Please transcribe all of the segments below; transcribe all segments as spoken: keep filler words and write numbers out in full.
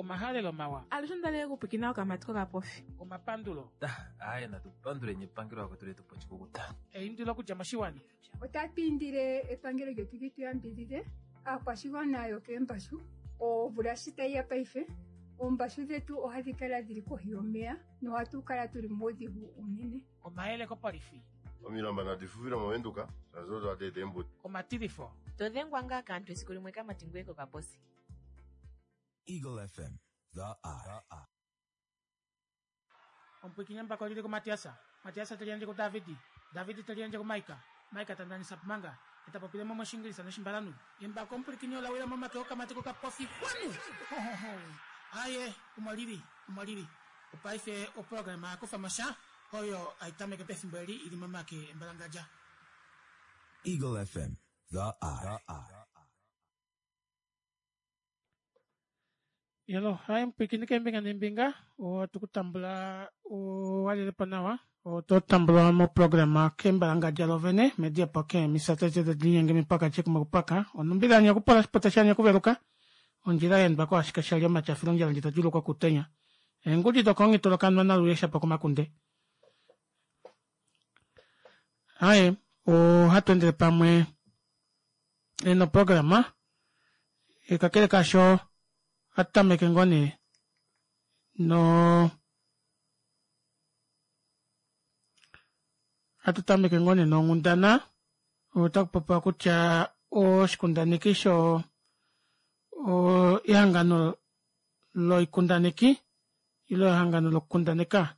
Omahalelo mawa. Alushe ondalele okupwikina okamati kokapofi. Omapandulo. Aaye natu panduleni epangelo vakwetu letu po oshikukuta. Eindilo okudja moshiwana. Otatu indile epangelo lyetu li tu yambidhidhe aakwashigwana yokeembashu. Omvula shi tayi ya paife, oombashu dhetu ohadhi kala dhili kohi yomeya nohatu kala tuli muudhigu uunene. Omayele kopolifi. Omilamba nadi fufile moVenduka shaashi odo hadi eta eembuto. Omatilifo. To dhengwa ngaa kaantu esiku limwe kamati ngoye kokaposi. Eagle F M, The Eye. Omupwiikini mbaka olili kuMatiasa. Matiasa te liyandje kuDavidi. Davidi te liyandje kuMaika. Maika ta ndanisa pumanga. E ta popile mo mOshingilisa nOshimbalanhu. Embako omupwilikini ola wila momake okamati kokapofi. Kwanu! Ho, ho, ho. Aye, omo lili, omo lili. Opaife oprograma ya kufa mo sha, oyo hai tameke pefimbo eli i li momake embalangadja. Eagle F M, The Eye. Yelo, hai mupwiikini keembinga neembinga, ohatu ku tambula u walele po nawa, oto tambulwa moprograma kembalangadja lovene mediapo keemisa tete tadi linyenge mipaka tyekumokupaka onumbila yanyakupola oshipota shanyakuveluka ondjila yaendwa ko ashike shali omatyafilo ondjala ndji tadjuulukwa kutenya eengudi dokonghitolokanwa naluye shapo komakunde aye ohatu endele pamwe noprograma kakele kaasho ohatu tameke ngoo nee no ohatu tameke ngoo nee nonghundana otaku popiwa kutya oshikundaneki sho ehangano loikundaneki ile ehangano lokukundaneka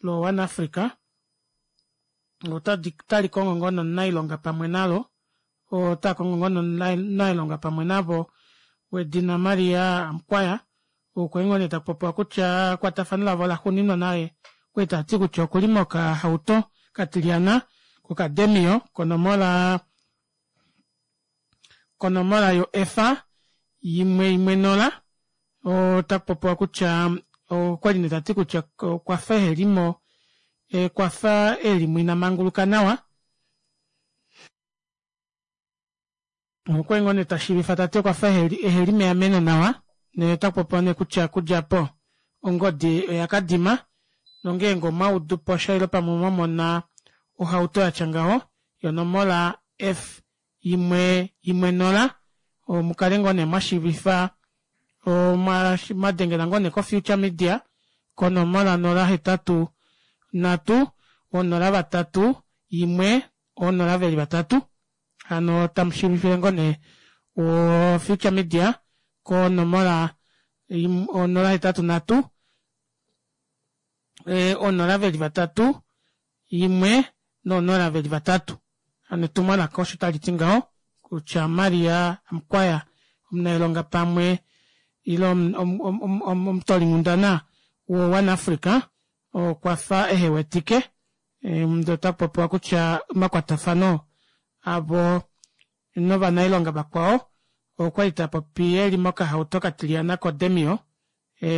lo One Africa otali kongo ngoo nomunailonga pamwe nalo ota kongo ngoo nomunailonga pamwe navo wedina Maria Amukwaya okwa ngoo nee takupopiwa kutya ekwatafano lavo laxuuninwa naye okwali tati kutya okuli mokahauto katilyana kokademio konomola konomola yo efa imwe imwe nola otakupopiwa kutya okwali nee tati kutya okwafa ehelimo okwafa elimo ina manguluka nawa okwali ngoo nee tashiivifa tati okwafa eheli meameno nawa ndee otakupopiwa nee kutya okudja aapo ongodi oya kadima nongeenge omwaudu posha ile pamwe mwamona ohauto yatya ngaho yonomola F imwe imwe nola mukale ngoo nee mwashiivifa mwadengela ngoo nee ko Future Media konomola nola hetatu nhatu onola vatatu imwe onola veli vatatu hano tamushiivifile ngoo nee o Future Media konomola onola hetatu nhatu onola veli vatatu imwe nonola veli vatatu hano etumwalaka osho taliti ngaho kutya Maria Amukwaya omunailonga pamwe ile omutolinghundana wo One Africa okwafa ehewetike ndee otakupopiwa kutya omakwatafano avo novanailonga vakwao okwali tapopi eli mokahauto katilyana kodemio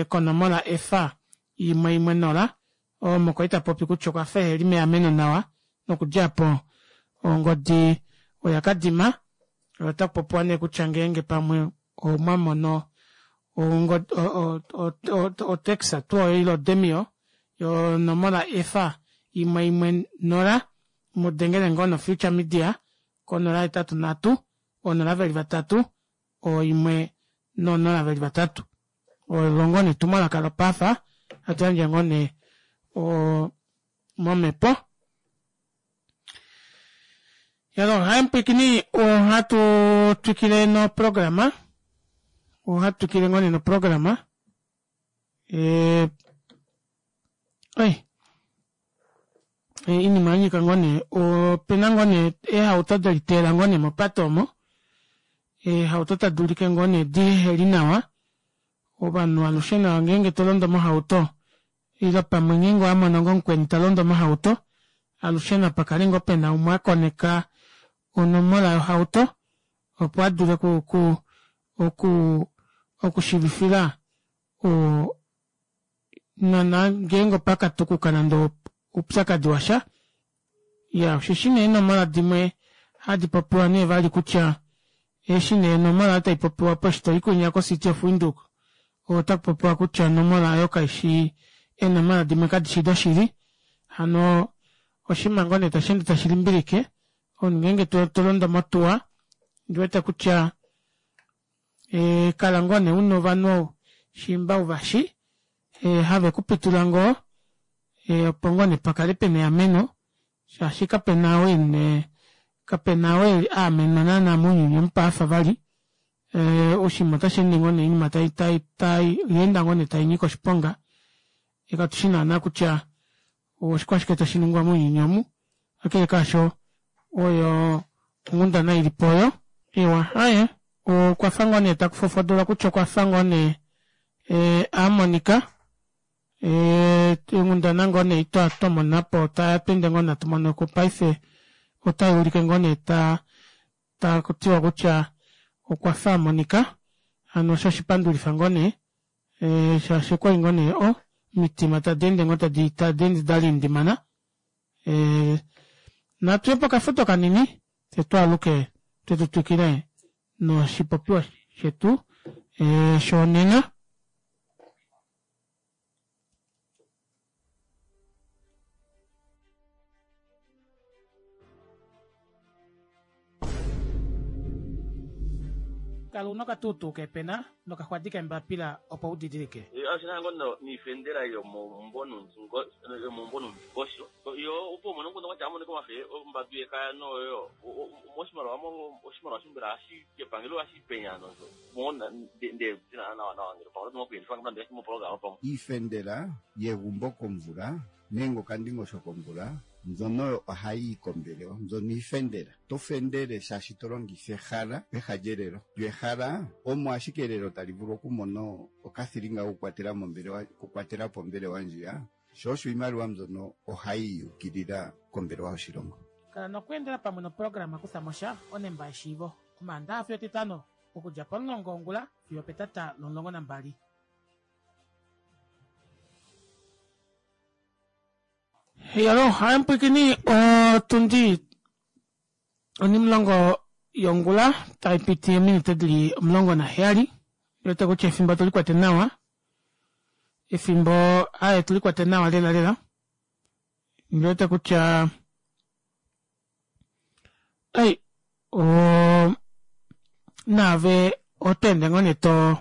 konomola efa imwe imwe nola omo kwali tapopi kutya okwafa eheli meameno nawa nokudja aapo ongodi oya kadima otakupopiwa nee kutya ngeenge pamwe omwamono otaxi tuu oyo ile odemio yonomola efa imwe imwe nola mudengele ngoo no Future Media konola hetatu nhatu onola veli vatatu oimwe nonola veli vatatu olo ngoo nee etumwalaka lopaasa hatu yandje ngoo nee momhepo. Yalo hai mupwiikini ohatu twikile noprograma ohatu twikile ngoo nee noprograma oi oinima yanyika ngoo nee opena ngoo nee eehauto deliteela ngoo nee mopate omo eehauto tadi ulike ngoo nee diheli nawa ovanhu alushe nawa ngeenge tolondo mohauto ile pamwe ngeenge owamono ngoo mukweni talondo mohauto alushe napakale ngoo pena umwe akoneka onomola yohauto opo adule oku oku okushiivifila oo nana ngeenge opakatukuka nande oupyakadi washa iya osheshi nee eenomola dimwe hadi popiwa nee vali kutya eshi nee onomola taipopiwa eshi toyi kwinya ko City of Windhoek Otakupopiwa kutya onomola aayo kaishi eenomola dimwe kadishi doshili hano oshinima ngoo nee tasheende tashi limbilike omunhu ngeenge tolondo motuwa ondiwete kutya kala ngoo nee una ovanhu shiimba uvashi have kupitula ngoo opo ngoo nee pakale pena eameno shaashi kapena ou kapena ou aamenwa naana mounyuni omu paife vali oshinima otasheende ngoo nee oinima oyaenda ngoo nee tainyike oshiponga fyee katushi naana kutya oshikwashike tashiningwa mounyuni omu kakele kaasho oyo onghundana ilipo oyo iwa aaye okwafa ngoo nee takufofodolwa kutya okwafa ngoo nee amonika onghundana ngoo nee ei twamonapo otweenda ngoo nee hatumonoko paife otayuulike ngoo nee takutiwa kutya okwafa amonika hano shoo oshipandulifa ngoo nee shaashi okwali ngoo nee oo omitima tadeende ngoo tadeende dalindimana natuye pokafudo kanini fyee twaaluke fyee tutwikile noshipopiwa shetu shonena. Kala una okatuutuu keepena nokaxwadi keembapila opo udidilike. Oshina ngoo niifendela yomomumvo nuundingosho yo opo umone omukundu kwatya amonike omafe ombadu yekaya noyo moshimaliwa oshimaliwa shimbela shepangelo ohashi penya nawa nawa ngele pamwe moprograma pamwe iifendela yegumbo komvula nenge okandingosho komvula mbyono ohayi kombelewa mbyono iifendela to fendele shaashi to longitha ehala peha lyelelo lyo ehala omo ashike elelo tali vulu okumona okathilinga kokukwatela mombelewa okukwatelapo ombelewa ndjiya sho osho iimaliwa mbyono ohayi yukilila kombelewa yoshilongo. Kala nokweendela pamwe noprograma Kuthamosha onemba yeshiivo Omaandaxa fiyo Etitano okudja pomulongo wongula fiyo opetata lomulongo nambali. Heyalo haimupwikini otundi onimulongo yongula taipiti eminute dili omulongo naheyali ondiwete kutya efimbo otulikwete nawa efimbo aaye otulikwete nawa lela lela ondiwete kutya ei oo naave otweende ngoo nee too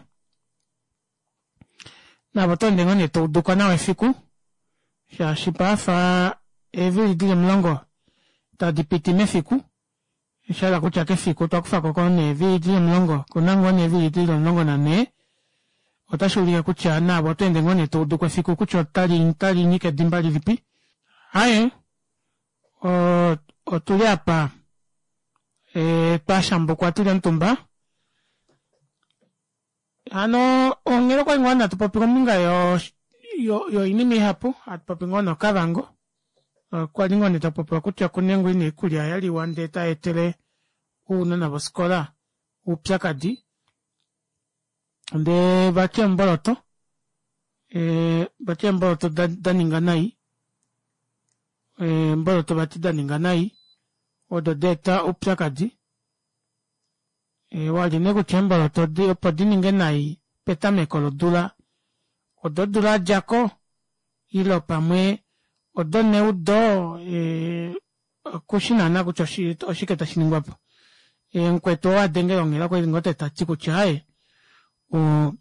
naave otweende ngoo nee touduko nawa efiku shaashi paife eevili dili omulongo tadipiti mefiku oshahala kutya kefiku otwakufako ngoo nee eevili dili omulongo okuna ngoo nee eevili dili omulongo nanhee otashuulike kutya naave otweende ngoo nee touduko efiku kutya otalinyike edimba lilipi aaye otuli aapa twashambukwa tuli omutumba hano onghela okwali ngoo nee hatupopi kombinga yoinima ihapu hatupopi ngoo nee okavango kwali ngoo nee takupopiwa kutya okuna ngoo nee oikulya yaliwa ndee tayeetele ounona vofikola oupyakadi ndee vati eemboloto vati eemboloto daninga nai eemboloto vati daninga nai odo daeta oupyakadi wali nee kutya eemboloto opo dininge nai petameko lodula ododula yadjako ile pamwe odoneudo kushi naana kutya oshike tashiningwapo mukwetu ou adengele onghela okwali ngoo tati kutya aaye oo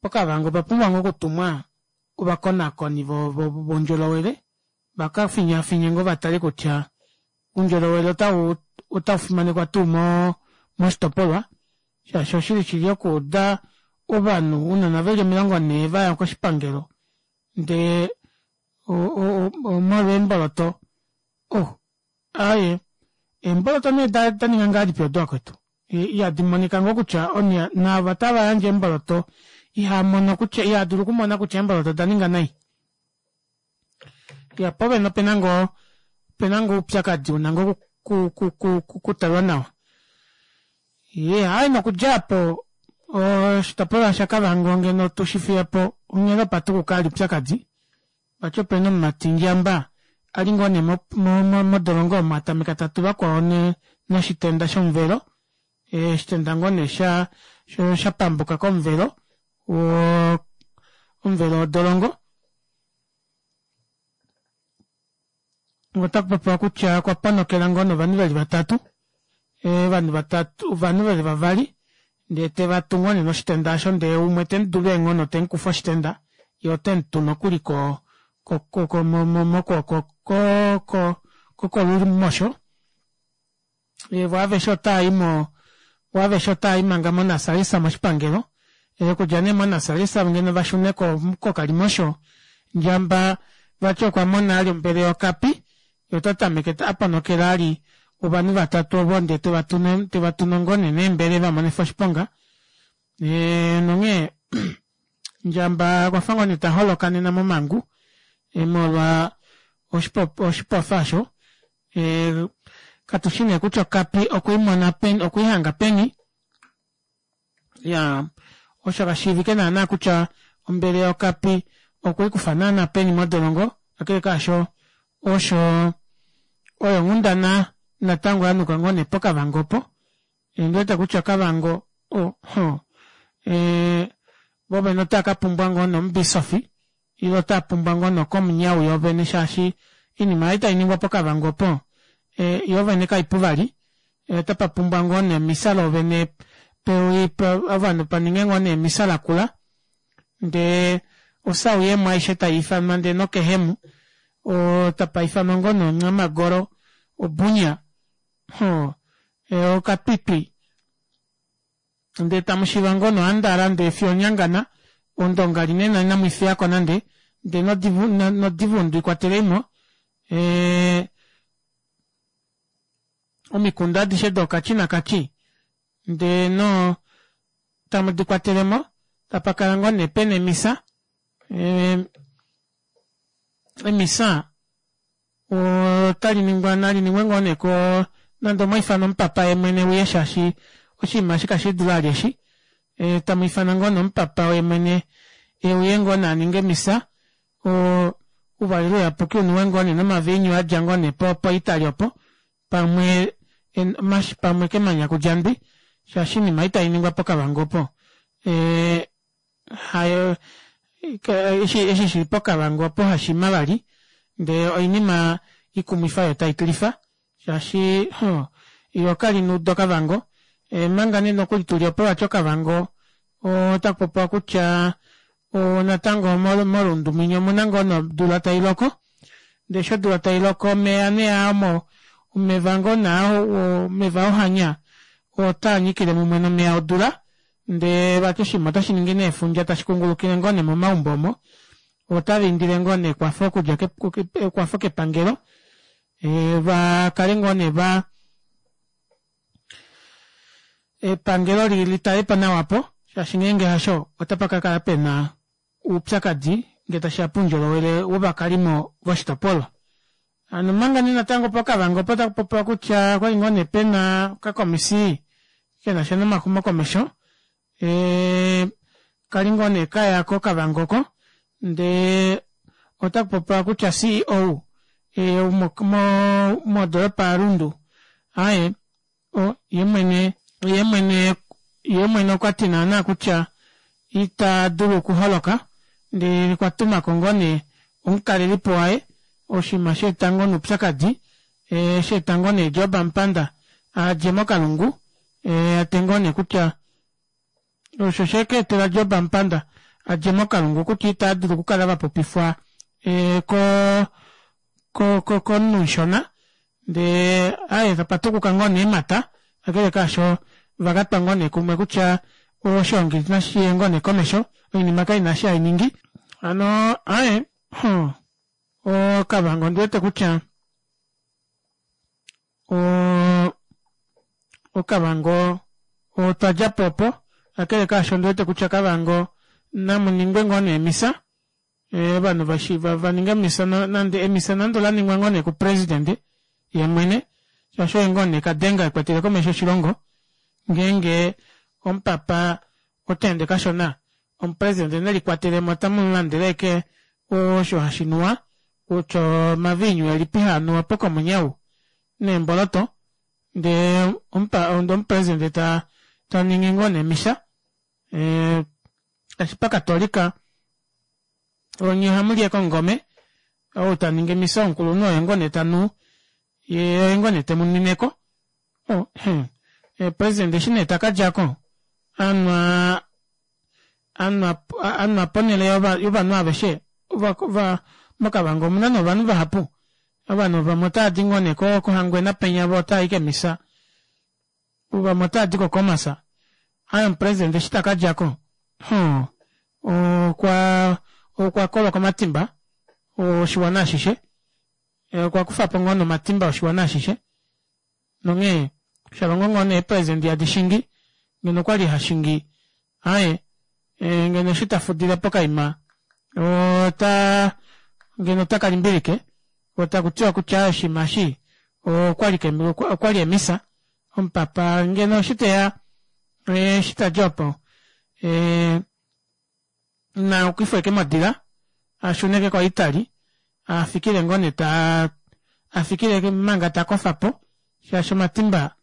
pokavango opapumbwa ngoo okutumwa ovakonakoni voundjolowele vakafinyafinye ngoo vatale kutya oundjolowele otaufimanekwa tuu moshitopolwa shaashi oshili shili okuuda ovanhu ounona veli omilongo nhee vaya koshipangelo ndee omolwo eemboloto oh aaye eemboloto nee daninga ngahelipi odo vakwetu ihadimonika ngoo kutya naava tavayandje eemboloto ihaamono kutya ihaadulu okumona kutya eemboloto odaninga nai iya poovene opena ngoo opena ngoo oupyakadi una ngoo okutalwa nawa iyee aaye nokudja aapo oshitopolwa shakavango ngeno tushifiyepo onghela opatukuka vali oupyakadi vati opena omumati ndjamba ali ngoo nee modolongo omo atameka tatu vakwao noshitenda shomuvelo Oshitenda ngoo nee sha shapambuka komuvelo woo omuvelo wodolongo. Otakupopiwa kutya okwa ponokela ngoo nee ovanhu veli vatatu ovanhu vatatu ovanhu veli vavali ndee tevatu ngoo nee noshitenda aasho ndee umwe temudulu eenghono temukufa oshitenda yee otemutu nokuli ko ko mokwooko ko kokolumosho voo aveshe otavayi voo aveshe otavayi manga mo nasalisa moshipangelo okudja nee mo nasalisa ngeno vashune kokalimosho ndjamba vati okwamona vali ombele yokapi yee otatameke aponokela vali ovanhu vatatu ovo ndee tevatu ngoo nee neembele evamonefa oshiponga ee nonghee ndjamba okwafa ngoo nee taholoka nena momangu molwa oshipofa aasho katushi nee kutya okapi okweimona peni okweihanga peni iyaa osho kashiivike naana kutya ombele yokapi okweikufa naana peni modolongo kakele kaasho osho oyo onghundana natango yanuka ngoo nee pokavango opo ondiwete kutya kavango ohoo voovene otaakapumbwa ngoo nee omubisofi ile otaapumbwa ngoo nee okomunyau yoovene shaashi oinima ei tainingwa pokavango opo yoovene kaipu vali otapapumbwa ngoo nee emisa loovene ovanhu paninge ngoo nee emisa lakula ndee osauyemo aishe taiifanwa ndee nokehemu tapaifanwa ngoo nee oncamagoro obunya ohoo okatwitwi ndee tamushiva ngoo nee ohandala ndee fiyo onyangana ondonga linene inamwiifiyako nande ndee nodivundu ikwateleimo ee omikunda adishe dookatji nakatji ndee noo tamu dikwatelemo tapakala ngoo nee pena emisa emisa otaliningwa naliningwe ngoo nee nande omwaifana omupapa yeemwene euye shaashi oshinima eshi kashiidule vali eshi tamwiifana ngoo nee omupapa yeemwene euye ngoo nee aninge emisa oo ouvalelo uyapuki unuwe ngoo nee nomaviinyu adja ngoo nee po italy opo pamwe pamwe kemanya kudja ndwi shaashi oinima ei tainingwa pokavango opo hayo eshi shili pokavango opo hashima vali ndee oinima ikumwifa yoo taitilifa shaashi yoo kali neudo kavango omanga nee nokuli tuli opo vati okavango otakupopiwa kutya natango morundu mwinya omuna ngoo nee odula tailoko ndee eshi odula tailoko omeva nee aa omeva ngoo nee aa omeva ohanya otaanyikile mumwe nomeva odula ndee vati oshinima otashiningi nee efundja tashi kungulukile ngoo nee momaumbo omo otavaindile ngoo nee ekwafo okudja ekwafo kepangelo vakale ngoo nee vaa epangelo litalepo nawa aapo shaashi ngeenge hasho otapakakala pena oupyakadi ngee tashiya poundjolowele wovakalimo voshitopolwa. Hano omanga nee natango pokavango opo takupopiwa kutya okwali ngoo nee pena okakomisi kenasha nomaxumokomesho kali ngoo nee kaya kokavango oko ndee otakupopiwa kutya C E O modoropa ya rundu aaye yeemwene yeemwene okwati naana kutya itadulu okuholoka ndee okwatumako ngoo nee omukalelipo waye oshinima shaeta ngoo nee oupyakadi shaeta ngoo nee job amupanda adje mokalungu ate ngoo nee kutya osho shekeetela job amupanda adje mokalungu kutya itaadulu okukala vapopifwa koo komunhu mushona ndee aaye tapatukuka ngoo nee eemata kakele kaasho ovakatwa ngoo nee kumwe kutya oshoongi nashiye ngoo nee komesho oinima kaina eshi hainingi hano aaye okavango ondiwete kutya oo okavango otwadjapo opo kakele kaasho ondiwete kutya kavango namuningwe ngoo nee emisa ovanhu vaninge emisa nande emisa nande olaningwa ngoo nee ku president yeemwene shaashi oye ngoo nee kadenga ekwetele komesho oshilongo ngeenge omupapa otaende kashona omupresident nelikwatelemo tamulandele ashike osho hashinuwa kutya omaviinyu elipi haanuwa pokomunyau neemboloto Ndee omupa ndee omupresident ta taningi ngoo nee emisa ee shaashi pakatolika onye ohamuli ashike omungome ou taningi emisa omukulunhu oye ngoo nee tanu yee oye ngoo nee temunwineko oh ee president eshi nee takadjako anwa anwa anwa ponele yovanhu aveshe mokavango omuna nee ovanhu vahapu ovanhu vamwe otaadi ngoo nee kohangwena penya voo otaayi kemisa vamwe otaadi ko khomas aaye omupresident eshi takadjako hoo okwaa okwakolwa komatimba oshiwana ashishe okwa kufapo ngoo nee omatimba oshiwana ashishe nonghee shalongo ngoo nee eepresident hadi shingi ngeno okwali hashingi aaye ngeno eshi tafudile pokaima otaa ngeno otakalimbilike koo takutiwa kutya aaye oshiima eshi okwali okwali emisa omupapa ngeno eshi teya eshi tadi opo ee naukifwe ashike modila ashune ashike ko italy afikile ngoo nee taa afikile manga takofapo shaashi omatimba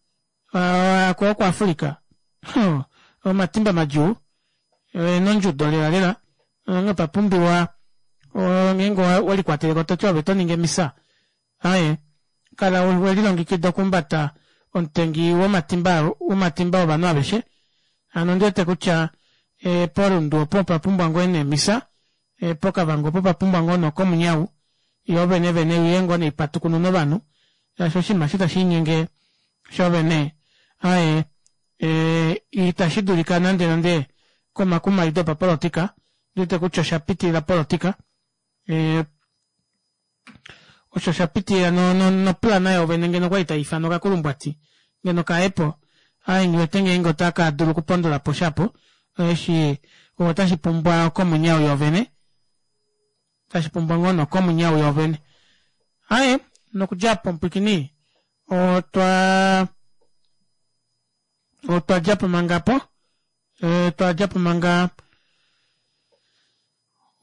aa oku africa huh omatimba madjuu eena ondjudo lela lela onghee opapumbiwa ngeenge owelikwateleko toti ove otoningi emisa aaye kala welilongekida okuhumbata omutengi womatimba womatimba ovanhu aveshe hano ondiwete kutya porundu opo opwapumbwa ngoo nee emisa pokavango opo opapumbwa ngoo nee okomunyau yoovene vene iuye ngoo nee ipatukunune ovanhu shaashi oshinima eshi tashiinyenge shoovene aaye ita shidulika nande nande komakumaido opapolitika ondiwete kutya oshapitilila opolitika osho oshapitilila noplan yoovene ngeno okwali taiifanwa okakulumbwati ngeno kayepo aaye nghiwete ngeenge otakadulu okupondolaposha aapo eshi otashipumbwa okomunyau yoovene otashipumbwa ngoo nee okomunyau yoovene aaye nokudja aapo mupwiikini otwaa otwadjapo manga aapo twadjapo manga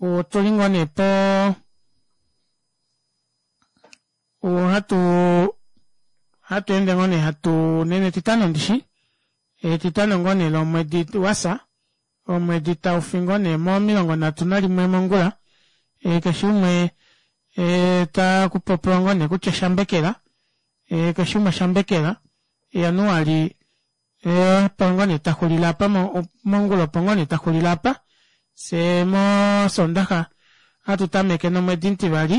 otuli ngoo nee poo ohatu ohatweende ngoo nee hatu nena etitano ndishi etitano ngoo nee lomwedi wafya omwedi taufi ngoo nee momilongo nhatu nalimwe mongula keshe umwe takupopiwa ngoo nee kutya shambekela keshe umwe shambekela januali opo ngoo nee taxulile aapa mongula opo ngoo nee taxulile aapa fyee moshondaxa ohatu tameke nomwedi omutivali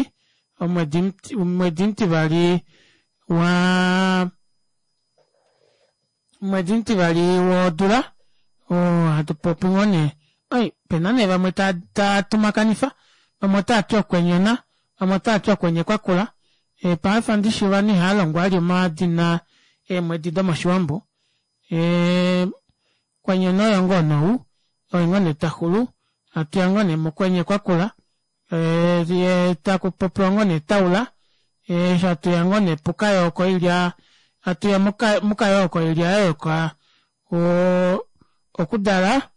omwedi omwedi omutivali waa omwedi omutivali wodula oo hatupopi ngoo nee oi opena nee vamwe tatumakanifa vamwe otaati okwenyona vamwe otaati okwenye kwakula paife ndishi ovanhu ihaalongwa vali omadina eemwedi domoshiwambo kwenyona oye ngoo nee ou oye ngoo nee taxulu hatuya ngoo nee mokwenye kwakula yee takupopiwa ngoo nee taula eshi hatuya ngoo nee pukayooko ilya hatuya mukayooko ilya yayoka oo okudala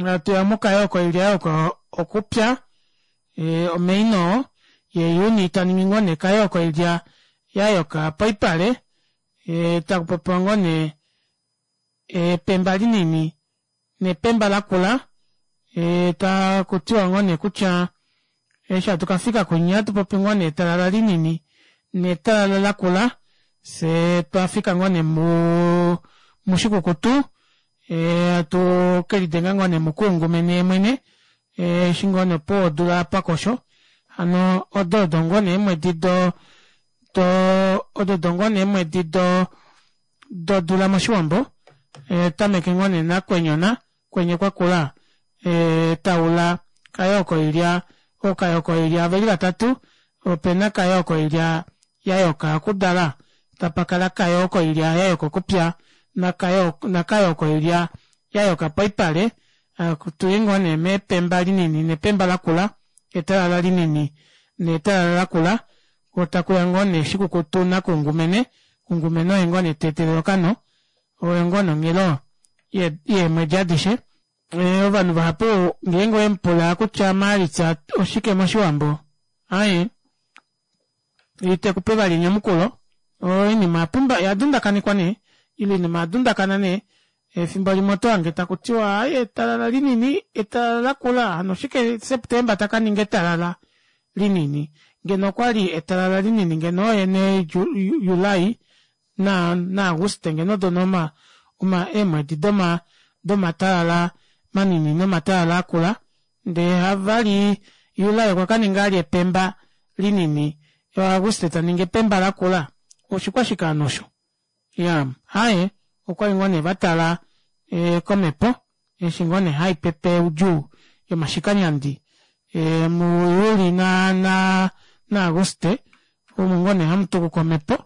hatuya mukayooko ilya yayoka okupya o may nee oo yee juni taningi ngoo nee kayooko ilya yayoka poipale yee takupopiwa ngoo nee epemba linini nepemba lakula takutiwa ngoo nee kutya eshi hatu kafika kwinya ohatupopi ngoo nee etalala linini netalala lakula fyee twafika ngoo nee mushikukutu hatu kelidenga ngoo nee mukuungumene yemwene eshi ngoo nee opuwo odula pakosho hano odo odo ngoo nee eemwedi doo odo odo ngoo nee eemwedi dodula moshiwambo hatutameke ngoo nee nakwenyona kwenye kwakula taula kayooko ilya ookayooko ilya oveli vatatu opena kayooko ilya yayoka okudala tapakala kayooko ilya yayoka okupya nakayooko ilya yayoka poipale hatuyi ngoo nee mepemba linini nepemba lakula etalala linini netalala lakula koo takuya ngoo nee shikukutu nakuungumene kungumene oye ngoo nee teetelele okano oye ngoo nee onghelo yeemwedi adishe ovanhu vahapu ngeenge owemupula kutya maalitsa oshike moshiwambo aaye Itekupe vali enyamukulo oinima oyapumba oyadundakanekwa nee ile oinima oyadundakana nee efimbo limwe otohange takutiwa aaye etalala linini etalala lakula hano oshike september takaninga etalala linini ngeno okwali etalala linini ngeno oye nee july na auguste ngeno odo nee oma eemwedi doma domatalala manini nomatalala akula ndee vali july okwakaninga vali epemba linini yee auguste taningi epemba lakula oshikwashike hano osho iyaa aaye okwali ngoo nee vatala komepo eshi ngoo nee haipepe oudjuu yomashikanyandi mu juli na auguste omo ngoo nee hamutukuka omepo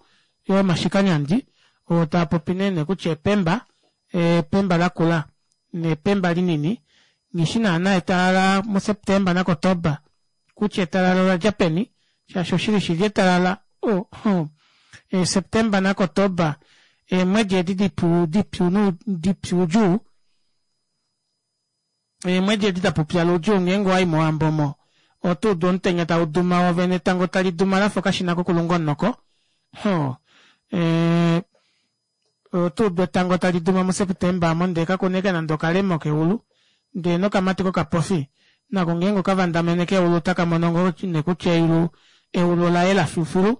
yomashikanyandi oo taapopi nee kutya epemba epemba lakula nepemba linini nghishi naana etalala mu september na kotoba kutya etalala oladja peni shaashi oshili shili etalala oo september na kotoba eemwedi edi dipyu dipyu udjuu eemwedi edi dapupyala oudjuu ngeenge owayi mowambo omo otuudu omutenya tauduma woovene etango taliduma lafa okashina kokulunga omunoko oo ee otuudu etango taliduma mu september aamo ndee kakuna ashike nande okalemo keulu ndee nokamati kokapofi nako ngeenge okavandamene keulu otakamono ngoo nee kutya eulu eulu olayela filufilu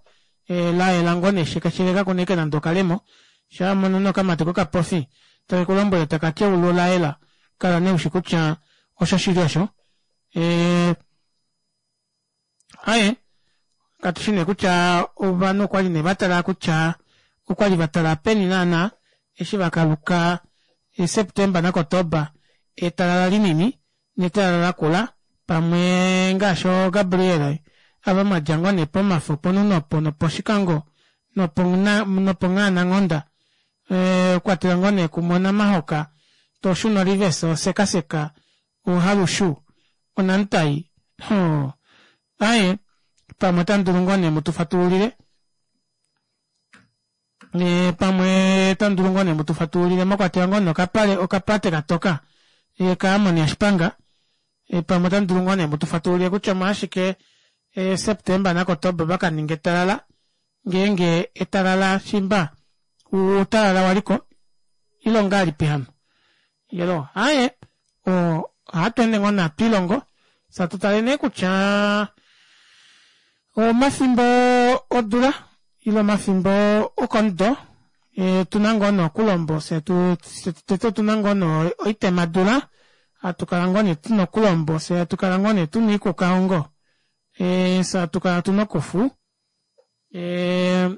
layela ngoo nee shekesheke kakuna ashike nande okalemo shaa wamono nee okamati kokapofi takekulombwele takati eulu olayela kala nee ushi kutya osho shili osho ee aaye katushi nee kutya ovanhu okwali nee vatala kutya okwali vatala peni naana eshi vakaluka september na kotoba etalala linini netalala lakula pamwe ngaashi oo gabriel ava mwadja ngoo nee pomafo ponuno opo noposhikango noponghaananghonda kwatela ngoo nee kumwe onamahoka toshuna orivesi osekaseka ohalushu onamutai oo aaye pamwe otamudulu ngoo nee mutufatululile pamwe otamudulu ngoo nee mutufatululile mwakwatelwa ngoo nee okapate katoka ka amon yashipanga pamwe otamudulu ngoo nee mutufatululile kutya omolwashike september na kotoba vakaninga etalala ngeenge etalala shiimba outalala waliko ile ongahelipi hano iyaloo aaye ohatweende ngoo nee hatwiilongo fyee hatutale nee kutya omafimbo odula ile omafimbo okomudo otuna ngoo nee okulombo fyee tete otuna ngoo nee oitemadula hatukala ngoo nee tuna okulombo fyee hatukala ngoo nee tuna oikukahongo fyee hatukala tuna okufu ee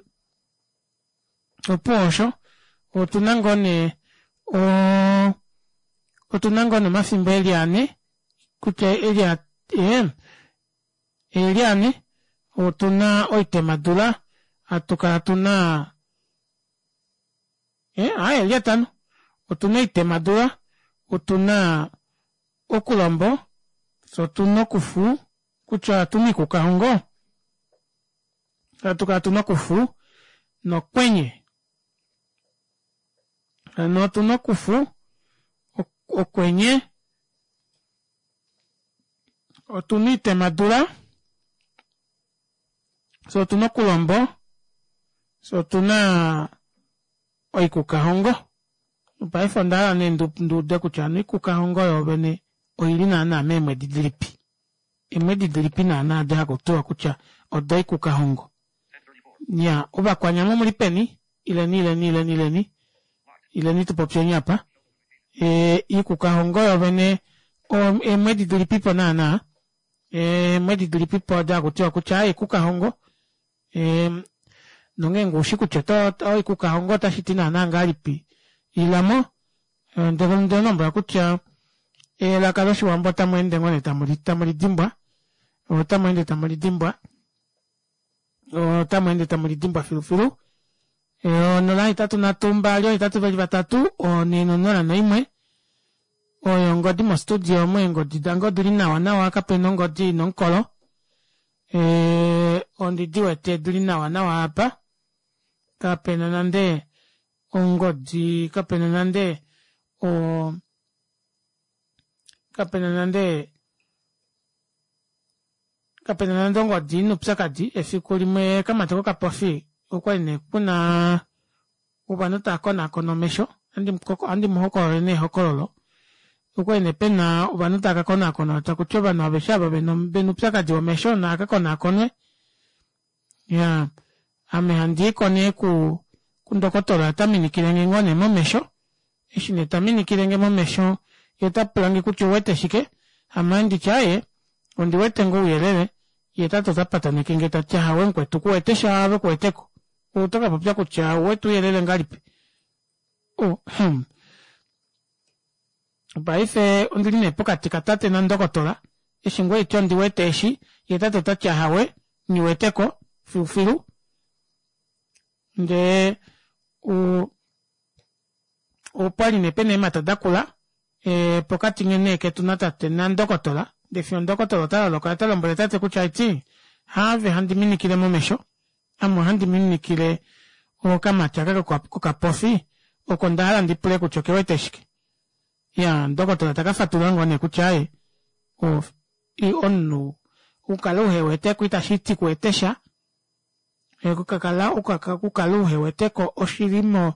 opuwo osho otuna ngoo nee oo otuna ngoo nee omafimbo eli anhe kutya ee eli anhe otuna oitemadula hatukala tuna aaye oeli atano otuna oitemadula otuna okulombo fyee otuna okufu kutya otuna oikukahongo hatukala tuna okufu nokwenye hano otuna okufu okwenye otuna oitemadula fyee otuna okulombo fyee otuna oikukahongo paife ondahala nee nduude kutya hano oikukahongo yoovene oili naana meemwedi dilipi eemwedi dilipi naana aado hakutiwa kutya odoikukahongo iyaa ovakwanyama omuli peni ileni ileni ileni ileni ileni tupopyeni aapa iikukahongo yoovene eemwedi dilipipo naana eemwedi dilipipo odo hakutiwa kutya aaye oikukahongo nongeenge oushi kutya oikukahongo otashiti naana ngahelipi ilamo ondemulombwela kutya elaka loshiwambo otamweende ngoo nee tamulidimbwa otamweende tamulidimbwa otamweende tamulidimbwa filufilu onola hetatu nhatu mbali oohetatu veli vatatu onhe nonola noimwe oyo ongodi mo studio omu eengodi dange odili nawa nawa kapena ongodi ina omukolo ondidiwete dili nawa nawa aapa kapena nande ongodi kapena nande oo kapena nande Kapena nande ongodi noupyakadi efiku limwe kamati kokapofi okwali nee kuna ovanhu taakonaakona omesho ohandi muhokololele nee ehokololo okwali nee pena ovanhu taakakonaakona takuti ovanhu aveshe ava vena oupyakadi womesho naakakonaakonwe iyaa ame handiiko nee kundokotola taminikilenge ngoo nee momesho eshi nee taminikilenge momesho yee otapulange kutya ouwete shike ame ohanditi aaye ondiwete ngoo ouyelele yee tate otapatanekenge tati ahowe mukwetu kuwetesha ove kuweteko otokapopya kutya ouwete ouyelele ngahelipi oh hmm paife ondili nee pokati katate nandokotola eshi ngoo haiti ondiwete eshi yee tate otati ahawe nghiweteko filufilu ndee opwali nee pena eemata dakula pokati nee ketu natate nandokotola ndee fiyo ndokotola otaloloka yee otalombwele tate kutya aiti haave handi minikile momesho ame ohandi minikile okamati aka kokapofi oko ndahala ndipule kutya okewete shike iyaa ndokotola takafatulula ngoo nee kutya aaye omunhu okukala uheweteko itashiti kuwetesha okukala uheweteko oshili mo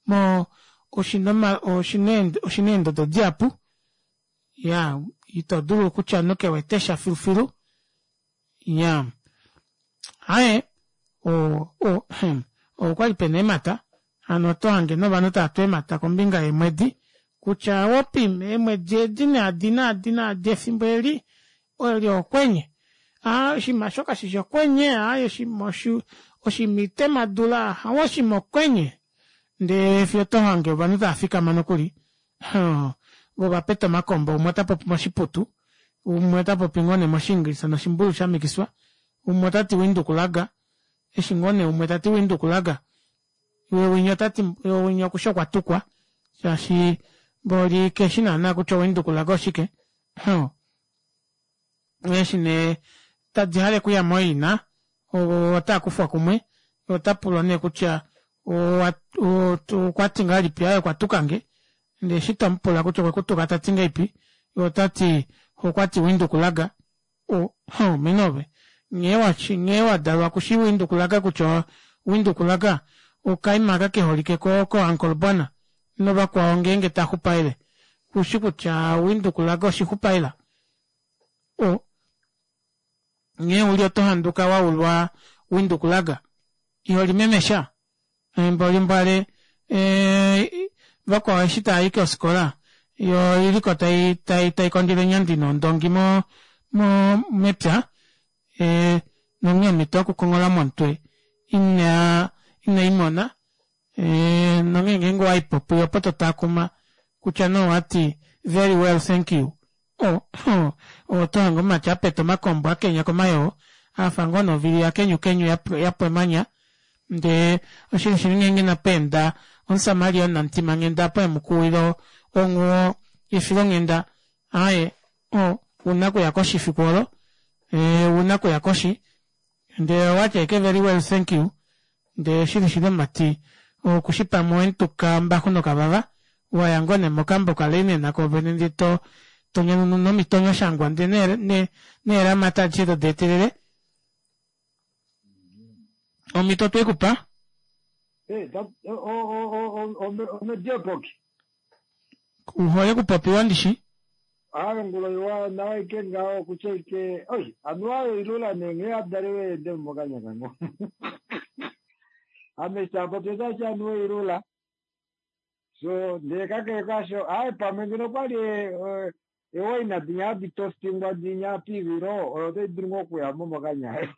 mo oshina oshina eendodo dihapu iyaa itodulu kutya omunhu kewetesha filufilu iyaa aaye o- o okwali pena eemata hano otohange nee ovanhu taatu eemata kombinga yeemwedi kutya wopim eemwedi edi naadi naadi naadi efimbo eli eli okwenye aa oshiima aasho kashishi okwenye aaye oshiima oshiima itemadula ahawe oshiima okwenye ndee fiyo otohange ovanhu taafikama nokuli voo ovapeta omakombo umwe otapopi moshiputu umwe otapopi ngoo nee moshiingilisa noshimbulu shamikiswa umwe otati windhoek lager eshi ngoo nee umwe tati windhoek lager yee winya otati winya okushi okwatukwa shaashi mboli keshi naana kutya o windhoek lager oshike eshi nee tadi hale okuya mooina otaakufwa kumwe otapulwa nee kutya okwati ngahelipi aaye okwatukange ndee eshi tomupula kutya okwekutuka tati ngahelipi yee otati okwati windhoek lager mene ove nghee wadalwa kushi windhoek lager kutya windhoek lager okaima aka keholike ko uncle bona novakwao ngeenge taxupaele kushi kutya windhoek lager oshixupaela nghee uli oto handuka waulwa windhoek lager iholimemesha mboli mbwale vakwao eshi taayi kofikola yoo oiliko taikondjele eenyandi nondongi mo mepya nonghee omito yoku konghola momutwe ina ineimona nonghee ngeenge owaipo puye opo totaakuma kutya nee owati very well thank you otohange omumati apeta omakombo akenya komayoo afa ngoo nee ovili yakenyukenyu yapwa emanya ndee oshili shili ngeenge inapeenda omusamaria omunamutimanghenda opo emukuwila onghuwo yefilonghenda aaye ouna okuya koshi efiku oolo ouna okuya koshi ndee owati ashike very well thank you ndee shili shili omumati okushi pamwe owemutuka ombaxu nokavava waya ngoo nee mokambo ka linen koovene ndee to tonyanununa omitonyoshangwa ndee neeramata adishe todeetelele omito otwekupa omediopoki uhole okupopiwa ndishi aawe ngulo iwa nawa ike ngaho kutya ike oi anuwa oilula nee nghee adalelwe ende mokanya kango ame shapopi otashi anuwa oilula so ndee kakele kasho aaye pamwe ngeno kwali ewaina dinya hadi tostingwa dinya piivilo oyo otai dulu ngoo okuyamo mokanya ayo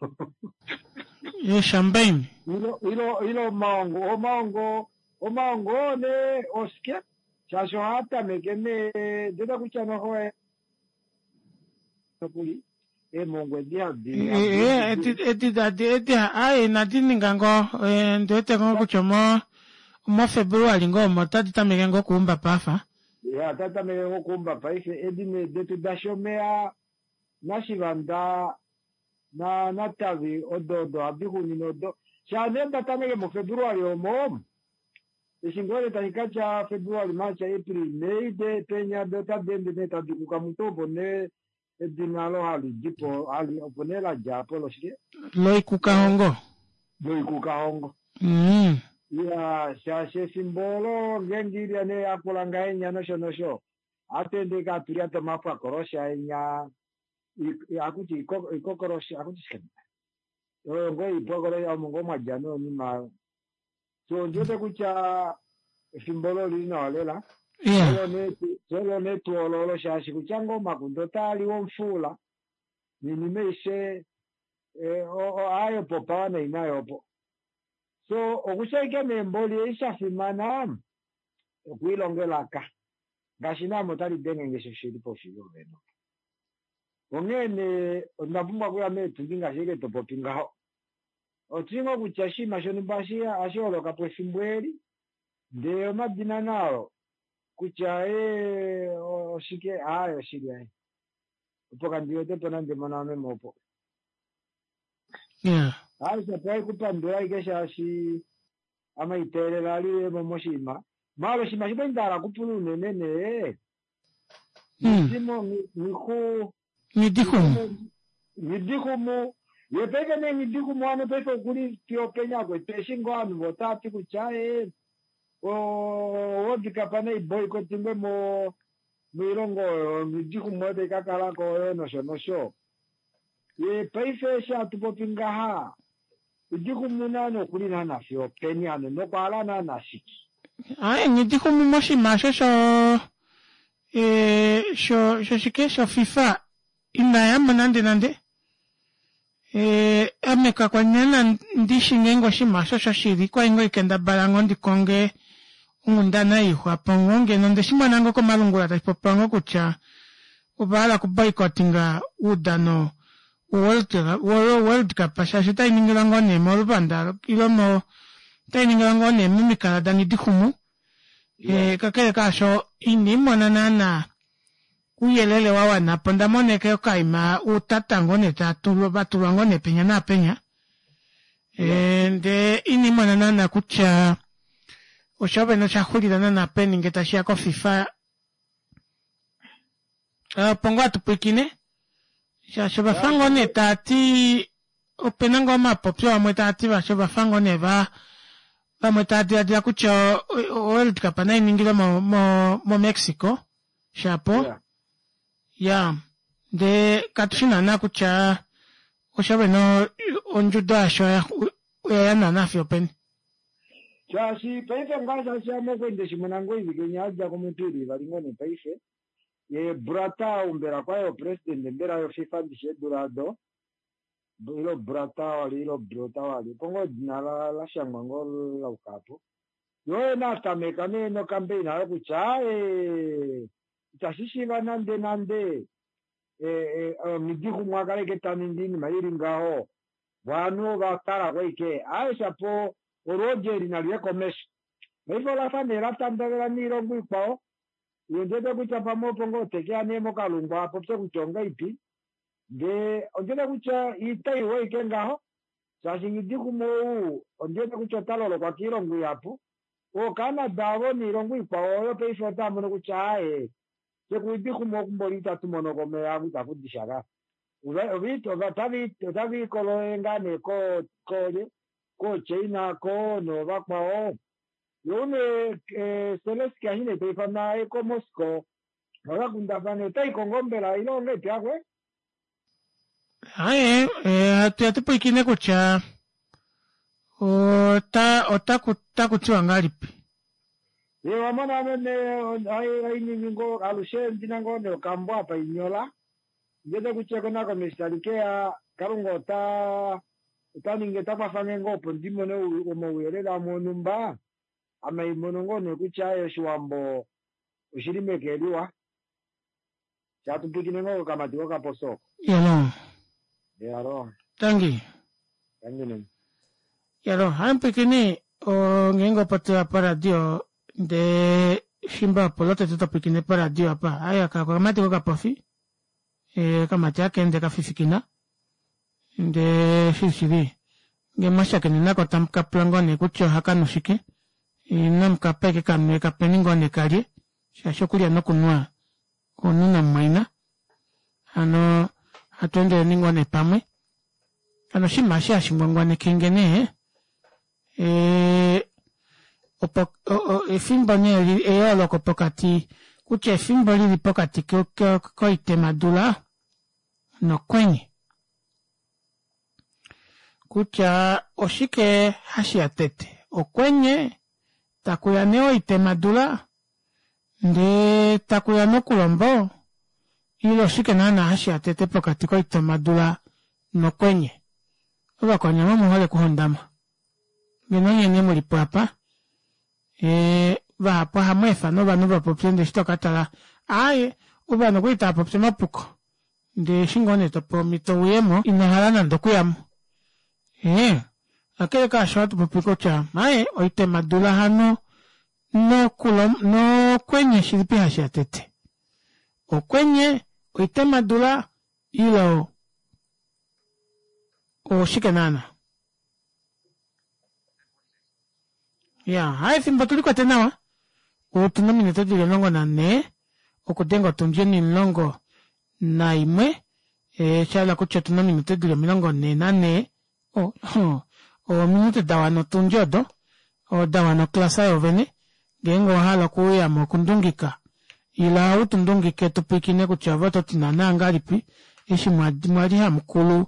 yechampagne ilo ilo ilo omaongo omaongo omaongo oo nee oshike shaashi ohaa tameke nee ndeta kutya noho nokuli eemongwa edi hadi edi edi edi aaye inadi ninga ngoo ndiwete ngoo kutya omo omo February ngoo omo otadi tameke ngoo okuumba paafa ya otadi tameke ngoo okuumba paife edi nee detu dashomeya nashivanda na natavi odo odo ohadi xunine odo shaa nee datameke mufebruary omo eshi ngoo nee tashi katya February March April May de penya de otadi ende nee tadi kuka mutu opo nee Edina olo hali dipo hali opo nee la dja po loshike Loikukahongo. Loikukahongo. Mm. Ya, shaashi efimbo olo ngeenge ilya nee yakula ngahenya nosho nosho, ohatu ende ike hatu lyata omapwakolosha enya, hakuti ikokolosha, hakuti shike? Oyo ngoo oipwakolosha omo ngoo mwa dja noinima oyo. So ondi wete kutya efimbo olo olili nawa lela. Olo nee tuu olo shaashi kutya ngoo omakunde otaa liwa omufuula, noinima aishe aayo popawa nainayo opo. So okusha ashike nee mboli ei sha fimana okwiilonga elaka ngaashi naame otali denge nge shoshili poshili ovene. Onghee nee onda pumbwa okuya meetundi ngaashi ashike to popi ngaho. Otushi ngoo kutya oshinima shonhumba ohashi holoka po efimbo eli ndee omadina naao kutya ee oshike aaye oshili aaye opo kandi wete po nande mona meme opo. Yeah. Aaye shapo haikupandula ashike shaashi ame iteelela ali mo moshinima. Maala oshinima shimwe nda hala okupula unene nee Nghidimo Nghihu Nghidixumu Nghidixumu ye paife nee Nghidixumu hano paife okuli fiyo openya kwetu eshi ngoo ovanhu vo otava ti kutya ee oWorld Cup nai boycottingwe mo moilongo oyo Nghidixumu oyo tai ka kalako oyo nosho nosho. Ye paife eshi hatu popi ngaha Nghidixumu naana okuli naana fiyo openi hano nokwa hala naana shike? Aaye Nghidixumu moshinima osho sho e, sho shoshike shoFIFA inaya mo nande nande. E, ame kakwa li naana ndishi ngeenge oshinima osho shoshili kwali ngoo haikendabala ngoo ndi konge onghundana yeixwapo ngoo ngeno ondeshi mona ngoo komalungula tashi popiwa ngoo kutya ova hala okuboycottinga oudano woWorld Cup shaashi otai ningilwa ngoo nee moluvanda ile mo otai ningilwa ngoo nee momikala daNghidixumu. E, kakele kaasho ina imona naana ouyelele wa wana po onda mona ashike okaima uutata ngoo nee va tulwa ngoo nee penya naapenya. E, ndee ina imona naana kutya osho vene osha xulila naana peni ngee tashiya koFIFA. Opo ngoo hatu pwilikine shaashi ovafa ngoo nee taati opena ngoo omapopyo amwe taati vati ovafa ngoo nee va vamwe tava diladila kutya oWorld Cup nai ningilwe mo, mo, moMexico shapo ya ndee katushi naana kutya osho vene ondjudo yasho oya ya naana fiyo openi. Shaashi paife ngaa shaashi ame okwe nde shi mona ngoo oivike inya ya dja ko moipili ivali ngoo nee paife ye Brata ou mbela kwaye opresident mbela yoFIFA ndishi eedula ado ilo Brata wali ilo Brota wali opo ngoo edina la shangwa ngoo lauka apo. Ye oye nee atameka nee nokambeina ayo kutya aaye itashi shiiva nande nande Nghidixumu a kale ashike ta ningi oinima ili ngaho vo ovanhu ova talako ashike aaye shapo olwoodi eli nali ye komesho. Paife olafa nee la tandavela noilongo ikwao ye ondiwete kutya pamwe opo ngoo tekeya nee mokalungu apopye kutya ongaipi ndee ondiwete kutya itaiwa ashike ngaho shaashi Nghidixumu ou ondiwete kutya ota lolokwa koilongo ihapu ooCanada avo noilongo ikwao oyo paife otava mono kutya aaye fye kuNghidixumu oku mboli itatu mono ko omeya aku itaku di sha ka otava ikololele ngaa nee koolye kooChina ko noovakwao yo une Zelensky eshi nee taifanwa aye koMoscow vakakundafane otaiko ngoo mbela ile ongahelipi akwe? Aaye hatu pwilikine kutya ota ota kutiwa ngahelipi. Ye wamona meme hainingi ngoo alushe ndina ngoo nee okambo apa inyola ndiwete kutya ekonakono eshi tali keya Kalunga ota ota ningi ota kwafange ngoo opo ndi mone omauyelele amwe onhumba ame haimono ngoo nee kutya aaye oshiwambo oshili meke liwa shatu pwilikine ngoo kokamati kokaposo oko. Yalo. Yalo. Tangi. Tangi nene. Yalo, haimupwilikini ngeenge opo toya poradio ndee fimbo opo lotete to pwilikine poradio apa aye aka okamati kokapofi e, okamati haka ende kafifikina ndee shilishili ngee mwashakene nako tamu ka pula ngoo nee kutya ohaka nu shike inamu kapa ashike kanwe kapeni ngoo nee kalye shaashi okulya nokunwa omunhu namumwaina. Hano hatu endeleni ngoo nee pamwe. Hano oshinima eshi hashi ngwangwanekenge nee ee opo efimbo nee eyooloko pokati kutya efimbo lili pokati koitemadula nokwenye. Kutya oshike hashiya tete okwenye takuya nee oitemadula ndee takuya nee okulombo ile oshike naana hashiya tete pokati koitemadula nokwenye. Ovakwanyama omuhole okuhondama ngeno onye nee mulipo aapa ee vahapu ohamweefa nee ovanhu vapopye ndee eshi tokatala aaye ovanhu okwali taapopi omapuko ndee eshi ngoo nee topewa omito uyemo inohala nande okuyamo ee kakele kaasho ohatupopi kutya aaye oitemadula hano nokwenye shilipi hashiya tete okwenye oitemadula ile oshike naana iyaa aaye efimbo otulikwete nawa otuna ominute dili omulongo nanhee okudenga otundi onimulongo naimwe shahala kutya otuna ominute dili omilongo nhee nanhee oh ominute dawana otundi odo dawana oclass yoovene ngeenge owahala okuuyamo okundungika ila utundungike tupwiikine kutya ove ototi naana ngahelipi eshi mwali hamukulu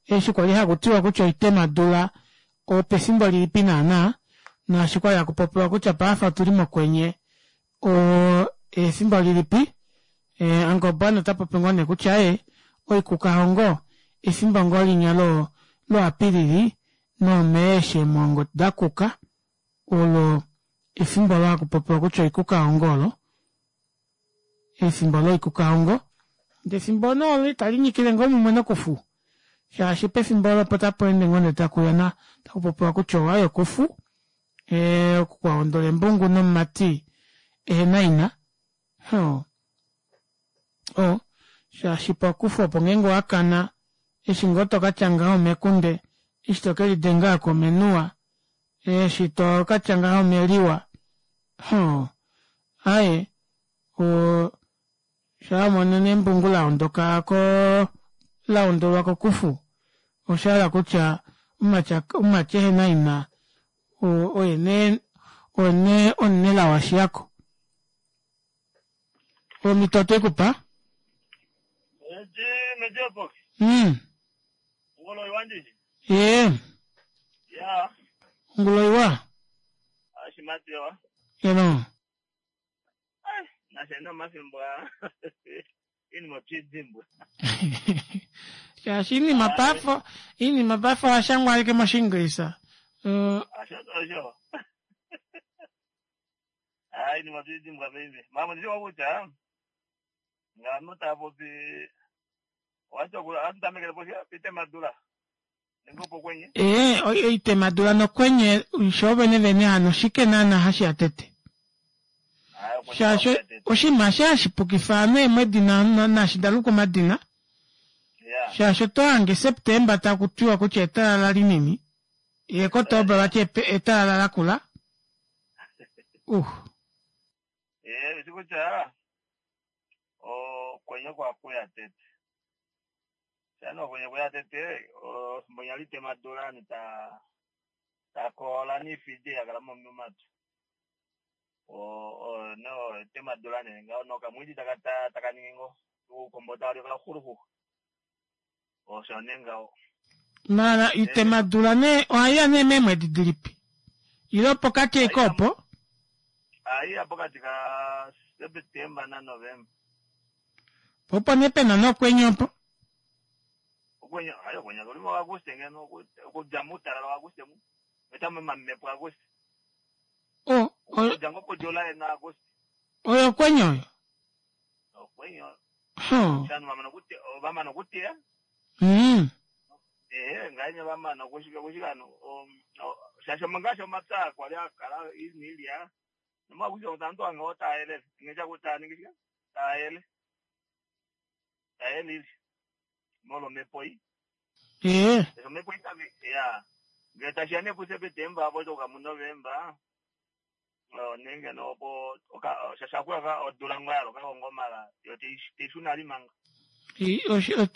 eshi kwali hakutiwa kutya oitemadula opefimbo lilipi naana naashi kwali hakupopiwa kutya paife otuli mokwenye oo efimbo lilipi Angombe otapopi ngoo nee kutya aaye oikukahongo efimbo ngoo linya lo Apilili noo May eshi eemwoongo dakuka olo efimbo olo hakupopiwa kutya oikukahongo olo efimbo loikukahongo ndee efimbo nee olo italinyikile ngoo mumwe nokufu shaashi pefimbo olo opo tapeende ngoo nee takuya takupopiwa kutya owaya okufu ee oku kwahondola embungu nomumati ehena ina oo oo shaashi pokufu opo ngeenge owakana eshi ngoo tokatya ngaho mekunde eshi tokelidenga aako omenuwa eshi tokatya ngaho omeliwa oo aaye oo shaawamono nee embungu laondoka koo laondolwa kokufu oshahala kutya omumati ehena ina oye nee oye nee omunelao ashiyako. Omito otwekupa? Mm ee ongulo iwa eno shaashi oinima paife oinima paife oyashangwa ashike moshinglisa ee oitemadula nokwenye shoovene vene hano oshike naana hashiya tete shaashi oshinima eshi hashipukifa ovanhu eemwedi naashi daluka omadina shaashi otohange September takutiwa kutya etalala linini yee Kotoba vati etalala lakula uh maala itemadula nee ohaiya nee meemwedi dilipi ile opokati ashike opo po opo nee pena nokwenye opo o oyo okwenye oyo mm ee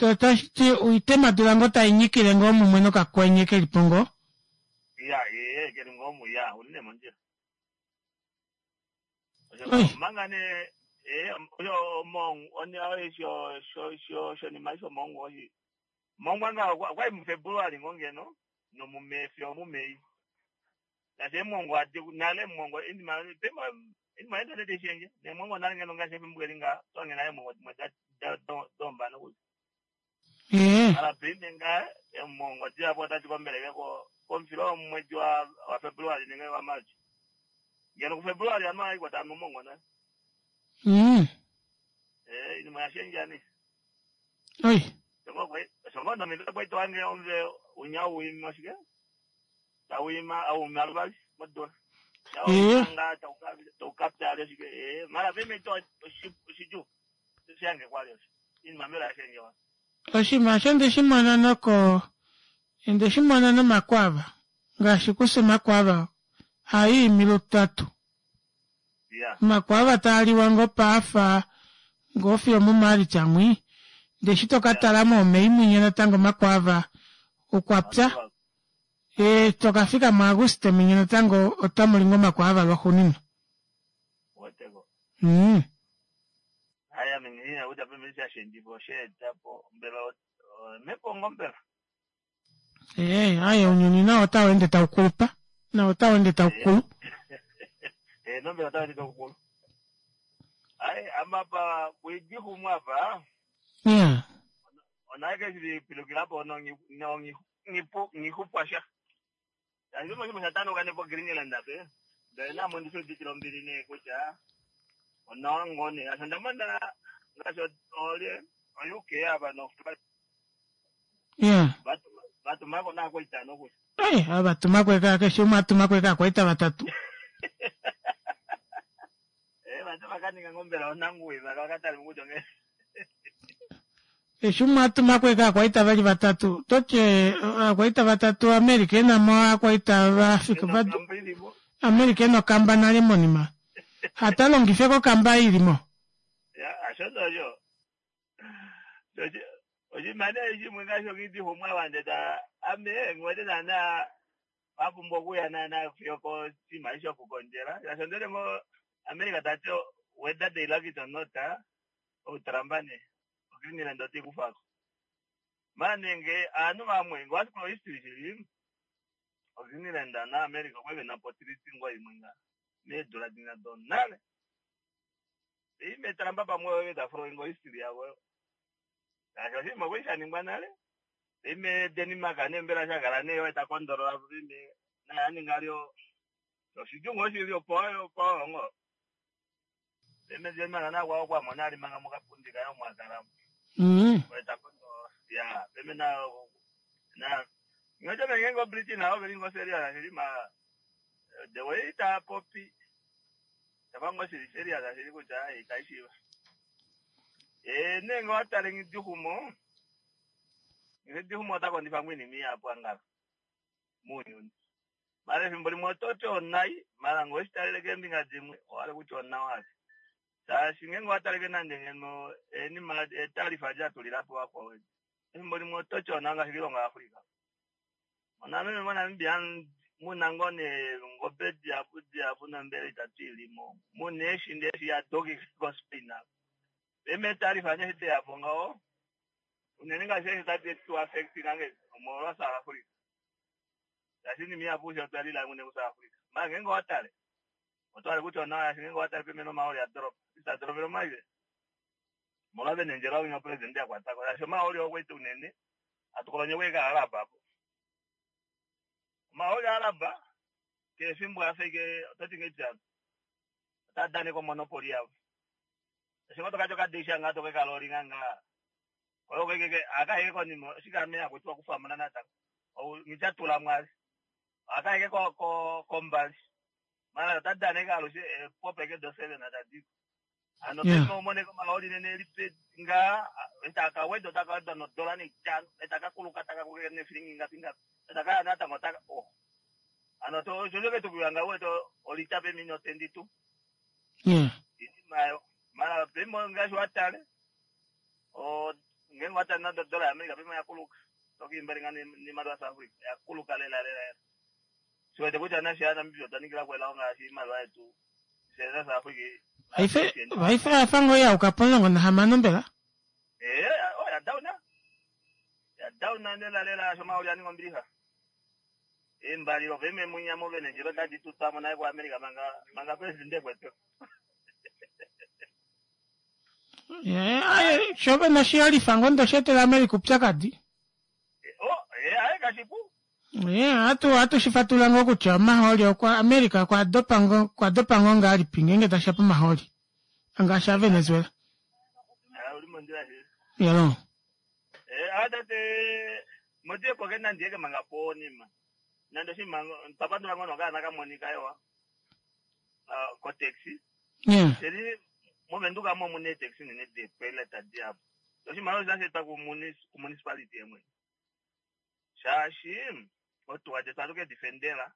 Otashi oitemadula ngoo tainyikile ngoo mumwe nokakwenye kelipo ngoo. Ya ee keli ngoo mu ya uli nee mondjila. Manga nee ee omo one sho sho sho shonima shomongo oshi mongwa nga okwali muFebruary ngoo ngeno nomuMei fiyo muMei. Ngaashi eemongo adi nale mongo inima pema inima internet ishenje nemongo nale ngeno ngaashi efimbo eli nga twange nale emongo dimwe dombana kutya. Mara paife nga emongo dihapu otadi kombeleke ko komufilo womwedi wa wa February nenge wa March. Ngeno kuFebruary anu ayi kwata omongo nale. Mm. Eh inima yashendja ne. Oi. Shongo nomido kwetu wange omve unyau uima oshike? Tauima au maluvali modula. Eh. Nga taukapta oshike eh mara pime to oshiju. Shange kwali osho. Inima mbela yashendja wa. Oshinima osho nde shi mona noko nde shi mona nomakwava ngaashi kufye omakwava haiimi lutatu. Ya. Omakwava taaliwa ngoo paafa ngoo fiyo muMaalitsa mwi ndee eshi tokatala moMei mwinya natango omakwava okwapya ee tokafika muAguste mwinya natango otamuli ngoo omakwava lwaxuuninwa. Weteko. Mm. Haya mengine kuja pime shashendjipo osheetapo mbela mepongo mbela. Ee aye ounyuni nao otau ende taukulupa nao otau ende taukulu. Eh nombela tawende taukulu. Ai amapa kuidihumwa apa. Yeah. Onaike shilipilukila nongi nongi ngipu ngihupwasha. Yanjuma chimwe chatano kanepo Greenland ape. Ndele namo ndisudikila ombili ne kutya onawa ngone asho ndamona ngaashi olye o U K apa no Yeah. vatumako nako itano kutya. Ei, avatumako eka keshe umwe atumako eka akwaita vatatu. Eh vatu vakaninga ngombela onanguwi vakatali kutya nge. Keshe umwe atumako eka akwaita vali vatatu. Totye akwaita vatatu America enamo akwaita vaAfrika vadu America ena okamba nale monima. Hatalongife kokamba ilimo. Ya asho osho. Oshimane shimwe ngasho ngidihumwa wande ta ame ngwete nana vapumbwa okuya nana fiyo kosima shokukondjela. Yasho ndele ngo America tati whether they like it or not ouTrump ne oGreenland oti kufako. Manenge aanhu vamwe ngwasikola history shili oGreenland na America okweve napo treaty ngo imwe nga meedula dina donale. Ime Trump pamwe wewe tafuro ngo history yavo. Yasho shimwe kweshaningwa nale. Ime Denmark nembela shakala neyo takondolola ime nayaninga lyo oshidjungo shili opo opo ngo. Ime Denmark nakwa kwa mona ali manga mukapundi kayo mwakala. Mm. Wetakondo ya ime na na ngoja mengengo Britain nao velingo serious shili ma the way ta popi tabango shili serious shili kutya itaishiwa. Eh nengo atale ngidihumo. Ngidihumo atakondifa mwini mi apo angala. Munyuni. Mara efimbo limwe ototi onai mara ngoshitalele kembinga dimwe owali kutya onawali. Shaashi ngenge owataleke nande ngeno enima etarifa lyatulilapo vakwawo. Efimbo limwe ototi ona ngaashi kiilongo yaAfrica. Onameme moNamibia muna ngoo neengobe dihapu dihapu nombele itatu ilimo. Muna eeshi ndee eshi yadoki koSpain apa. Eme etarifa nee deyapo ngaho unene ngaashi eeshi tadi tu affect ngange omolwa South Africa. Shaashi iinima ihapu osho twalila mune kuSouth Africa. Mara ngenge owatale otwale kutya onawa shaashi ngenge owatale pemene omahooli adoropa. Itadorobele omaive. Molwa venendjela winya president yakwatako. Shaashi omahooli okweita unene atukolonye kweka alaba apo. Omahooli alaba kefimbo afike ototi ngeitya otadaneka omonopoli yavo. Shaashi ngo tokaty okadisha nga tokekaloli nga nga. Oyo keke akaheke konima oshikame akutiwa kufamuna natango. Ou ngichatula mwali. Akaheke ko ko kombali. Mara otadaneka alushe popeke do seven atadiko. Ano Yeah. pema umoneka omahooli nene lipe nga etakaweda otakaweda nodola neitano etakakuluka takakuluka nefilingi ngapi ngapi etakaya natango taka oh. Ano to shojoke tukuya weto olita pemino tendi tu. Yeah. Imayo. Mara pemo ngaashi watale. O Ngeenge watale nande odola yaAmerica paife oyakuluka tokiimbalinga niimaliwa yaSouth Africa yakuluka lela lela lela. Shiwete kutya nafye aaNamibia otwa ningila ko elao ngaashi iimaliwa yetu fye naSouth Africa Paife paife oyafa ngoo yauka pomulongo nahamano mbela? Ee, oya down ya down lela lela sho omahooli aninga ombilixa. Eembali oveme munya movene ndjilo tadi tutwamo naye kuAmerica manga manga presidente kwetu. Ee, aye, sho vene oshiyolifa ngoo ndo sheetela America upyakadi. Oh, ee, aye kashipu. Ee, ohatu ohatu shi fatulula ngoo kutya omahooli okwa America okwa dopa ngoo okwa dopa ngoo ngahelipi ngeenge tashiya pomahooli ngaashi aVenezuela. Ah, uli mondjila shili. Yalo. Eh, atate motie koke nandiyeke manga ponima. Nande oshinima twapandula ngoo nokaana kamonika ewa. Ah, ko taxi. Yeah. Sheli movenduka mo mune taxi nene de pilot diapo. Oshinima osho shashi etwa ku municipality yemwe. Shaashi otuwa detu ohatu ke difendela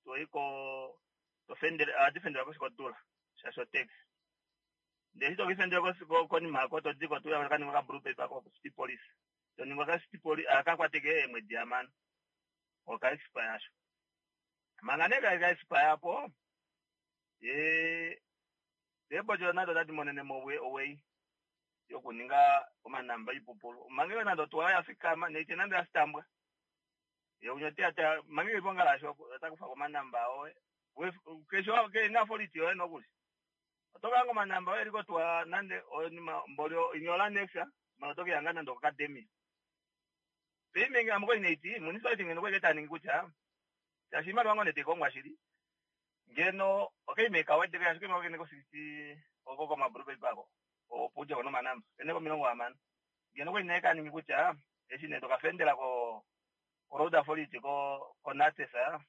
toyi ko tofendele ohadi fendelwa koshi kodula shaashi otaxi. Ndele eshi tokifendela konima yako todiko tuya kaninga ka blue paper ko city police. Toningwa ka city police akakwateke eemwedi hamano. Oka expire asho. Manga nee ka expire apo ee eebodjo nado otadi monenemo owei yokuninga omanamba oipupulu. Manga nande otuwa yafikama neite nande yasitambwa. Ye unya teya manga ilipo ngalashe otakufako omanamba oye. Keshe kena authority yoye nokuli. Otokanga omanamba oye eliko tuwa nande onima mboli inyola nexa mala otokiyanga nande okacademia. Payment ame kwali neiti municipality ngeno kwali taningi kutya shaashi iimaliwa ngoo nee taikongwa shili ngeno okaime kawedeko shaashi okaime kene ko sixty oko koma blue paper ako opo udjeko nomanamba kene komilongo hamano ngeno kwali nee kaningi kutya eshi nee tokafendela ko ko road authority ko ko NaTeSA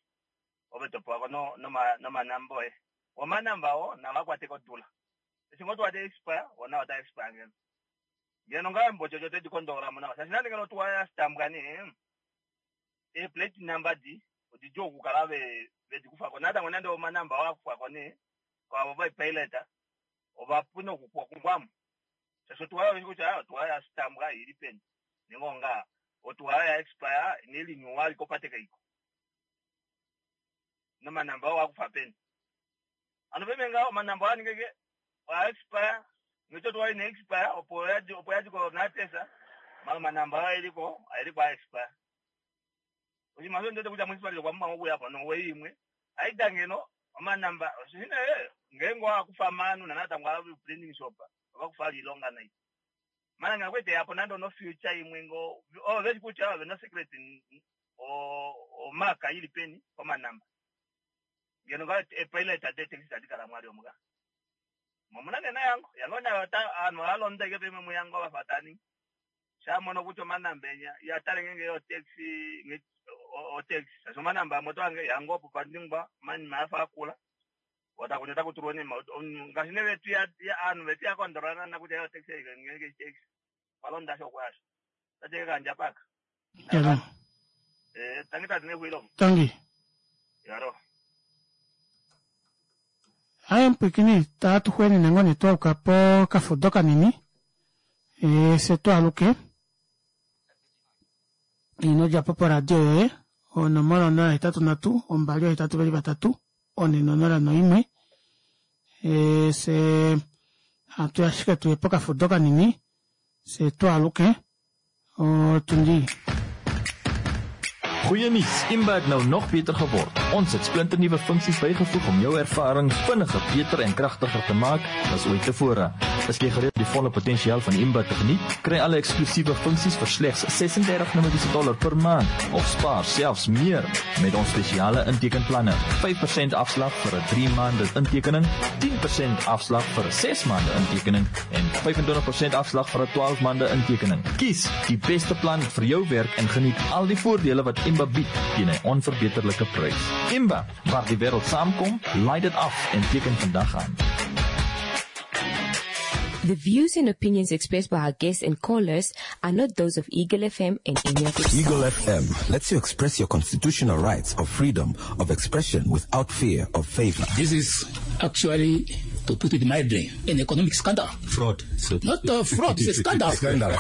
ove topewako no nomanamba oye. Omanamba oo navakwate kodula. Eshi ngoo tuwa ta expire wona ota expire ngeno. Ngeno ngaa embotsotso tedi kondolamo nawa shaashi nande ngeno otuwa yasitambwa nee ee plate number di odidjuu okukala ve vedikufako natango nande omanamba oo akufwako nee kwaavo vaipilot ovapu nokukungwamo shaashi otuwa oyo kutya otuwa yasitambwa ili peni nenge onga otuwa ya expire nelinyuwa likopate kaiko nomanamba oo akufa peni ano peme ngaho omanamba oo aningeke oya expire ngece otuwa ina expire opo yadi opo yadi ko NaTeSA mala omanamba oo eliko aeliko a expire. Oshinima osho ndiwete kutya municipality okwa pumbwa okuyapo nowei imwe aida ngeno omanamba oshine ngeenge owakufa manu nanatango ava printing shop ovakufa ilonga nai. Mana ngeno kwete yapo nande ono future imwe ngo oh veshi kutya ove no secret o omaka ili peni omanamba. Ngeno nga e pilot ade taxi tadi kala mwali omuka. Momuna nena yango yango nayo ta anu alonda ike pemwe muyango vafatani. Shamono kutya omanamba enya yatale ngenge yo taxi nge o taxi shaashi omanamba amwe otoange yango opo paningwa manima afa akula. Otakunya takutulwa onima ngaashi ne vetu ya anu vetu ya kondolana na kutya yo taxi ngenge taxi. Walonda sho kwasho. Tateke kanja paka. Yalo. Eh tangi tati nehwilo. Tangi. Yaro. Aye mpwikini tatu xwenene ngoo nee twauka pokafudo kanini e, se twaluke ino djapo poradio yoye onomola onola hetatu nhatu ombali ohetatu veli vatatu one nonola noimwe e, se hatu ashike tuye pokafudo kanini se twaluke otundi. Goeie nuus, Imba het nou nog beter geword. Ons het splinternuwe funksies bygevoeg om jou ervaring vinniger, beter en kragtiger te maak as ooit tevore. Is jy gereed om die volle potensiaal van Imba te geniet? Kry alle eksklusiewe funksies vir slegs ses-en-dertig Namibiese dollar per maand of spaar selfs meer met ons spesiale intekenplanne. vyf persent afslag vir 'n drie maande intekening, tien persent afslag vir 'n ses maande intekening en vyf-en-twintig persent afslag vir 'n twaalf maande intekening. Kies die beste plan vir jou werk en geniet al die voordele wat Imba bied teen 'n onverbeterlike prys. Imba, waar die wêreld saamkom, laai dit af en teken vandag aan. The views and opinions expressed by our guests and callers are not those of Eagle F M and any of its Eagle staff. F M lets you express your constitutional rights of freedom of expression without fear of favor. This is actually, to put it mildly, an economic scandal. Fraud. So Not a fraud, it's a scandal. Scandal.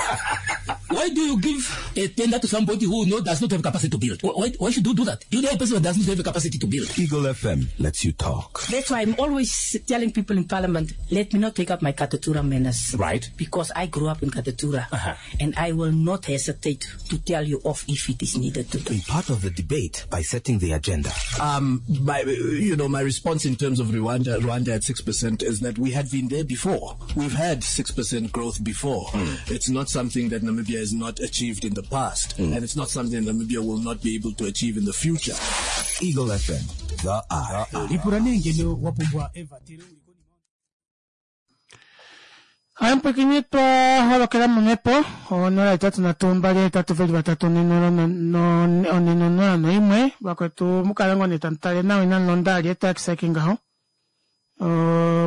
Why do you give a tender to somebody who know does not have capacity to build? Why, why should you do that? You know a person who does not have a capacity to build. Eagle F M lets you talk. That's why I'm always telling people in Parliament, let me not take up my Katutura manners. Right. Because I grew up in Katutura. Uh-huh. And I will not hesitate to tell you off if it is needed to do. Be part of the debate by setting the agenda. Um, my, you know, my response in terms of Rwanda, Rwanda at six percent is that we had been there before. We've had six percent growth before. Mm. It's not something that Namibia has not achieved in the past, mm. and it's not something Namibia will not be able to achieve in the future. Eagle F M, the eye. Ampwekini twa holokela momhepo onola itatu nhatu mbali hetatu veli vatatu one nonola noimwe vakwetu mukala ngoo nee tamu tale nawa inamu londa ali etaxi ake ngaho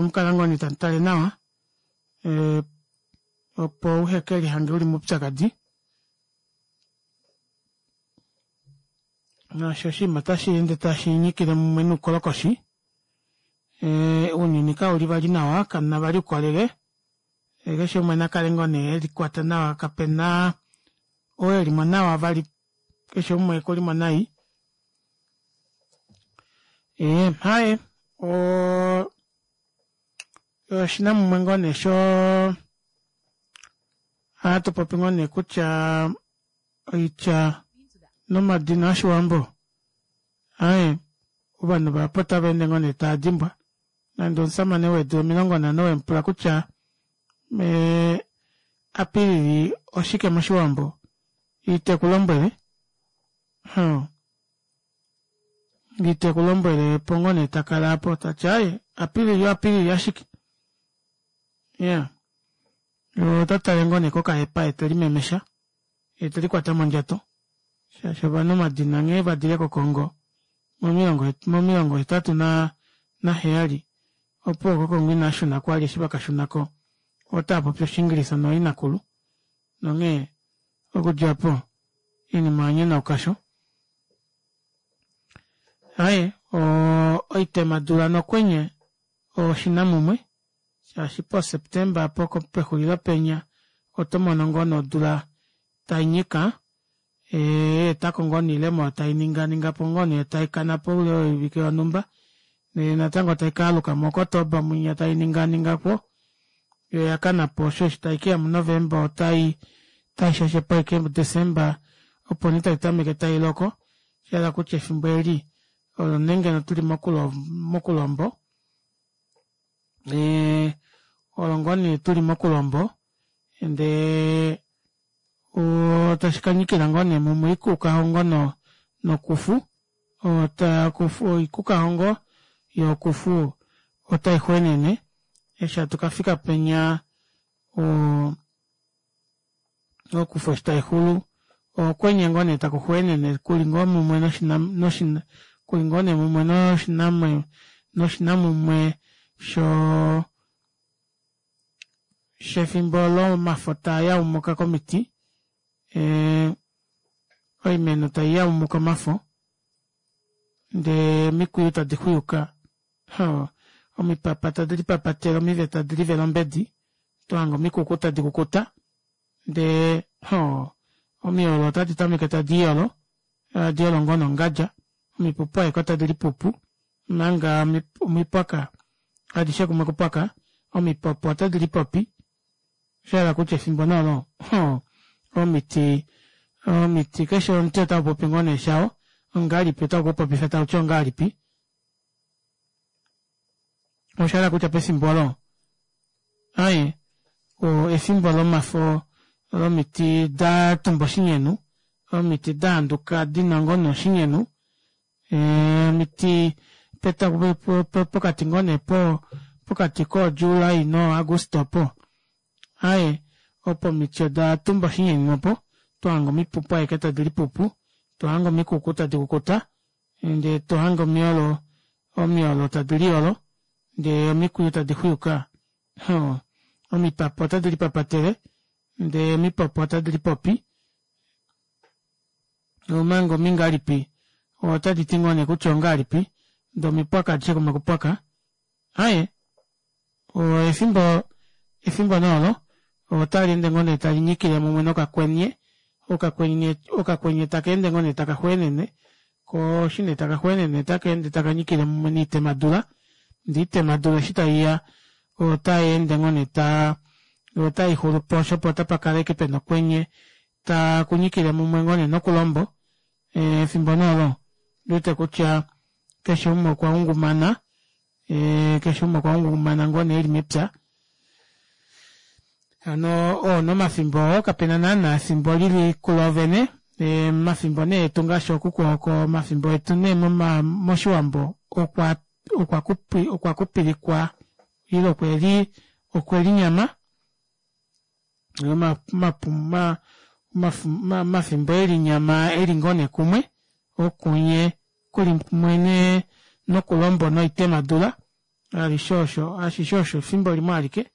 mukala ngoo nee tamu tale nawa opo uheke lihange uli moupyakadi naasho oshinima tashi ende tashi nyikile mumwe noukolokoshi ounyuni kauli vali nawa kamuna vali oukolele keshe umwe nakale ngoo nee elikwata nawa kapena oo elimo nawa vali keshe umwe ekulimo nai. Ee haye o oshinamumwe ngoo nee sho ohatu popi ngoo nee kutya oitya nomadina oshiwambo aye ovanhu vahapu otava ende ngoo nee tava dimbwa nande omusamane wedu omilongo nhano wemupula kutya me Apilili oshike moshiwambo ite kulombwele hmm. ite kulombwele pongo nee takala apo tati aye Apilili Apilili ashike yeah otatale ngoo nee kokahepa ete limemesha ete likwata mondjato shaashi ovanhu omadina nghee vadile koKongo momilongo momilongo hetatu na naheyali opo koKongo inashuna kwali eshi vakashunako otaapopi Oshiingilisa nooinakulu nonghee okudjapo oinima yanyanaukasho. Aye oitemadula nokwenye oshinamumwe shaashi po Septemba apo pexulilo penya oto mono ngoo nodula tainyika etako ngoo noilemo taininganingapo ngoo nee taikanapo oule woivike yonhumba ndele natango taikaaluka muOkotoba mwinya taininganingapo yo yakanapo osho eshi taikeya muNovemba otai taishashepo ashike muDesemba opo nee taitameke tailoko shahala kutya efimbo eli olo nee ngeno tuli mokulombo olo ngoo nee tuli mokulombo ndee otashi kanyikila ngoo nee mumwe oikukahongo nokufu oikukahongo yokufu otaixwenene eshi hatu kafika penya okufu eshi taixulu okwenye ngoo nee taku xwenene kuli ngoo mumwe kuli ngoo nee mumwe noshinamumwe sho shefimbo lomafo taayaumuka komiti oimeno taiyaumuka omafo ndee omikwiyu tadi xuyuka omipapa tadi lipapatele omive tadi livele ombedi tohanga omikuku tadi kukuta ndee omiolo otadi tameke tadi iyolo tadi iyolo ngoo nongadja omipupu aeke otadi lipupu omanga omipwaka adishe kumwe kupwaka omipopo otadi lipopi oshahala kutya efimbo nolo omiti omiti keshe omuti otaupopi ngoo nee shao ongahelipi otaukupopifa tauti ongahelipi oshahala kutya pefimbo olo aye efimbo lomafo lomiti datumba oshinyenu omiti daanduka dina ngoo nee oshinyenu omiti pokati ngoo nee pokati kooJuli nooAguste opo aye opo omiti oda tumba oshinyenu opo tohanga omipupu aeke tadi lipupu tohanga omikuku tadi kukuta ndee tohanga omiolo omiolo tadi liyolo ndee omikwiyu tadi xuyuka omipapa otadi lipapatele ndee omipopo otadi lipopi omanga omingahelipi otadi ti ngoo nee kutya ongahelipi ndee omipwaka adishe kumwe kupwaka aye efimbo efimbo noolo Otali ende ngoo nee tali nyikile mumwe nokakwenye, okakwenye okakwenye taka ende ngoo nee taka xweenene, koo eshi nee taka xweenene otaka ende taka nyikile mumwe noitemadula, ndee oitemadula eshi taiya otayeende ngoo nee taa otaixulupo shoo opo otapakala ashike pena okwenye takunyikile mumwe ngoo nee nokulombo efimbo nee olo ondiwete kutya keshe umwe okwa ngungumana keshe umwe okwa ngungumana ngoo nee eli mepya hano oo nee omafimbo oo kapena naana efimbo lili kuloovene omafimbo nee etu ngaashi ookuku oko omafimbo etu nee moshiwambo okwa okwa kupilikwa ile okweli okwelinyama omafimbo elinyama eli ngoo nee kumwe okunye kuli kumwe nokulombo noitemadula alishe osho ashishe osho efimbo limwe alike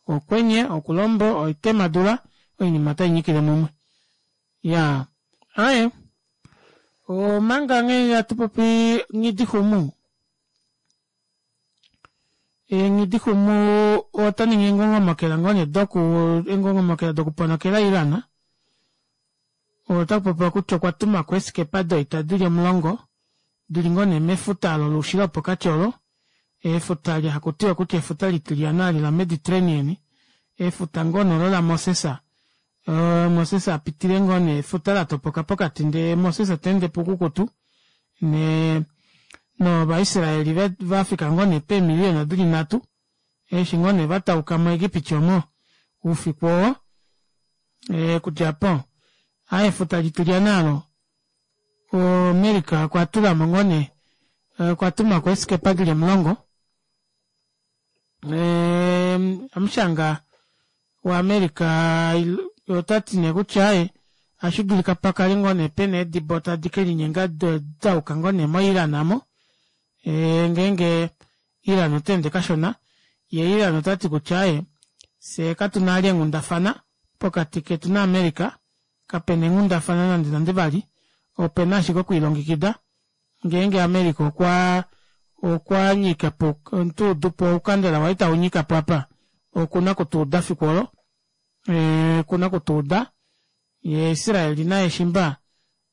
okwenye okulombo oitemadula oinima otainyikile mumwe iyaa aaye omanga nghee hatupopi nghidixumu nghidixumu otaningi eengongomokela ngoo nee doku eengongomokela dokuponokela iran otakupopiwa kutya okwatumako eeskepa doita dili omulongo dili ngoo nee mefuta olo loushilo wopokati olo efuta eli hakutiwa kutya efuta litilyana eli la mediterranean efuta ngoo nee olo lamoses moses apitile ngoo nee efuta latopoka pokati ndee moses taende poukukutu nee novaisraeli vafika ngoo nee peemiliyona dili nhatu eshi ngoo nee vatauka mu egipiti omo oufiku oo okudja aapo aaye efuta litilyana aalo america okwatulamo ngoo nee okwatumako eeskepa dili omulongo amushanga wa america otati nee kutya aaye ohashidulika pakale ngoo nee pena eedibo tadi kelinyenga dayuka ngoo nee mo iran aamo ngeenge iran otaende kashona yee iran otati kutya aaye fyee katuna vali eenghundafana pokati ketu na america kapena eenghundafana nande nande vali opena ashike okwiilongekida ngeenge america okwa okwanyikapo otuudupo oukandela waye taunyikapo apa okuna okutuuda efiku olo okuna okutuuda yee israel naye shimba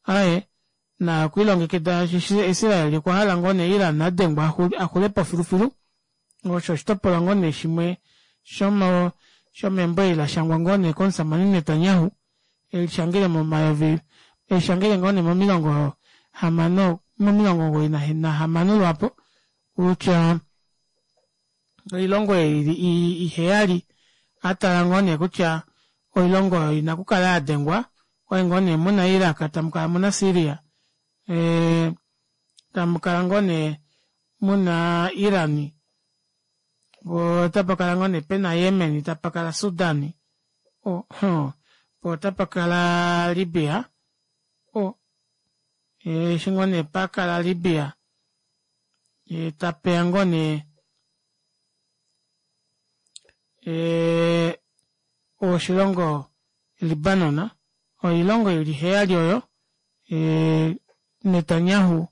aaye naye okwiilongekida shaashi israel okwahala ngoo nee iran adengwe axulepo filufilu osho oshitopolwa ngoo nee shimwe shomo shomembo eli lashangwa ngoo nee komushamane Netanyahu elishangele momayovi elishangele ngoo nee momilongo hamano momilongo omugoyi nahamano lwaapo kutya oilongo ei iheyali atala ngoo nee kutya oilongo oyo ina okukala yadengwa okwali ngoo nee muna iraq tamukala muna syria tamukala ngoo nee muna iran otapakala ngoo nee pena yemen tapakala sudan poo otapakala libya eshi ngoo nee pakala libya tapeya ngoo nee oshilongo libanon oilongo ili iheyali oyo Netanyahu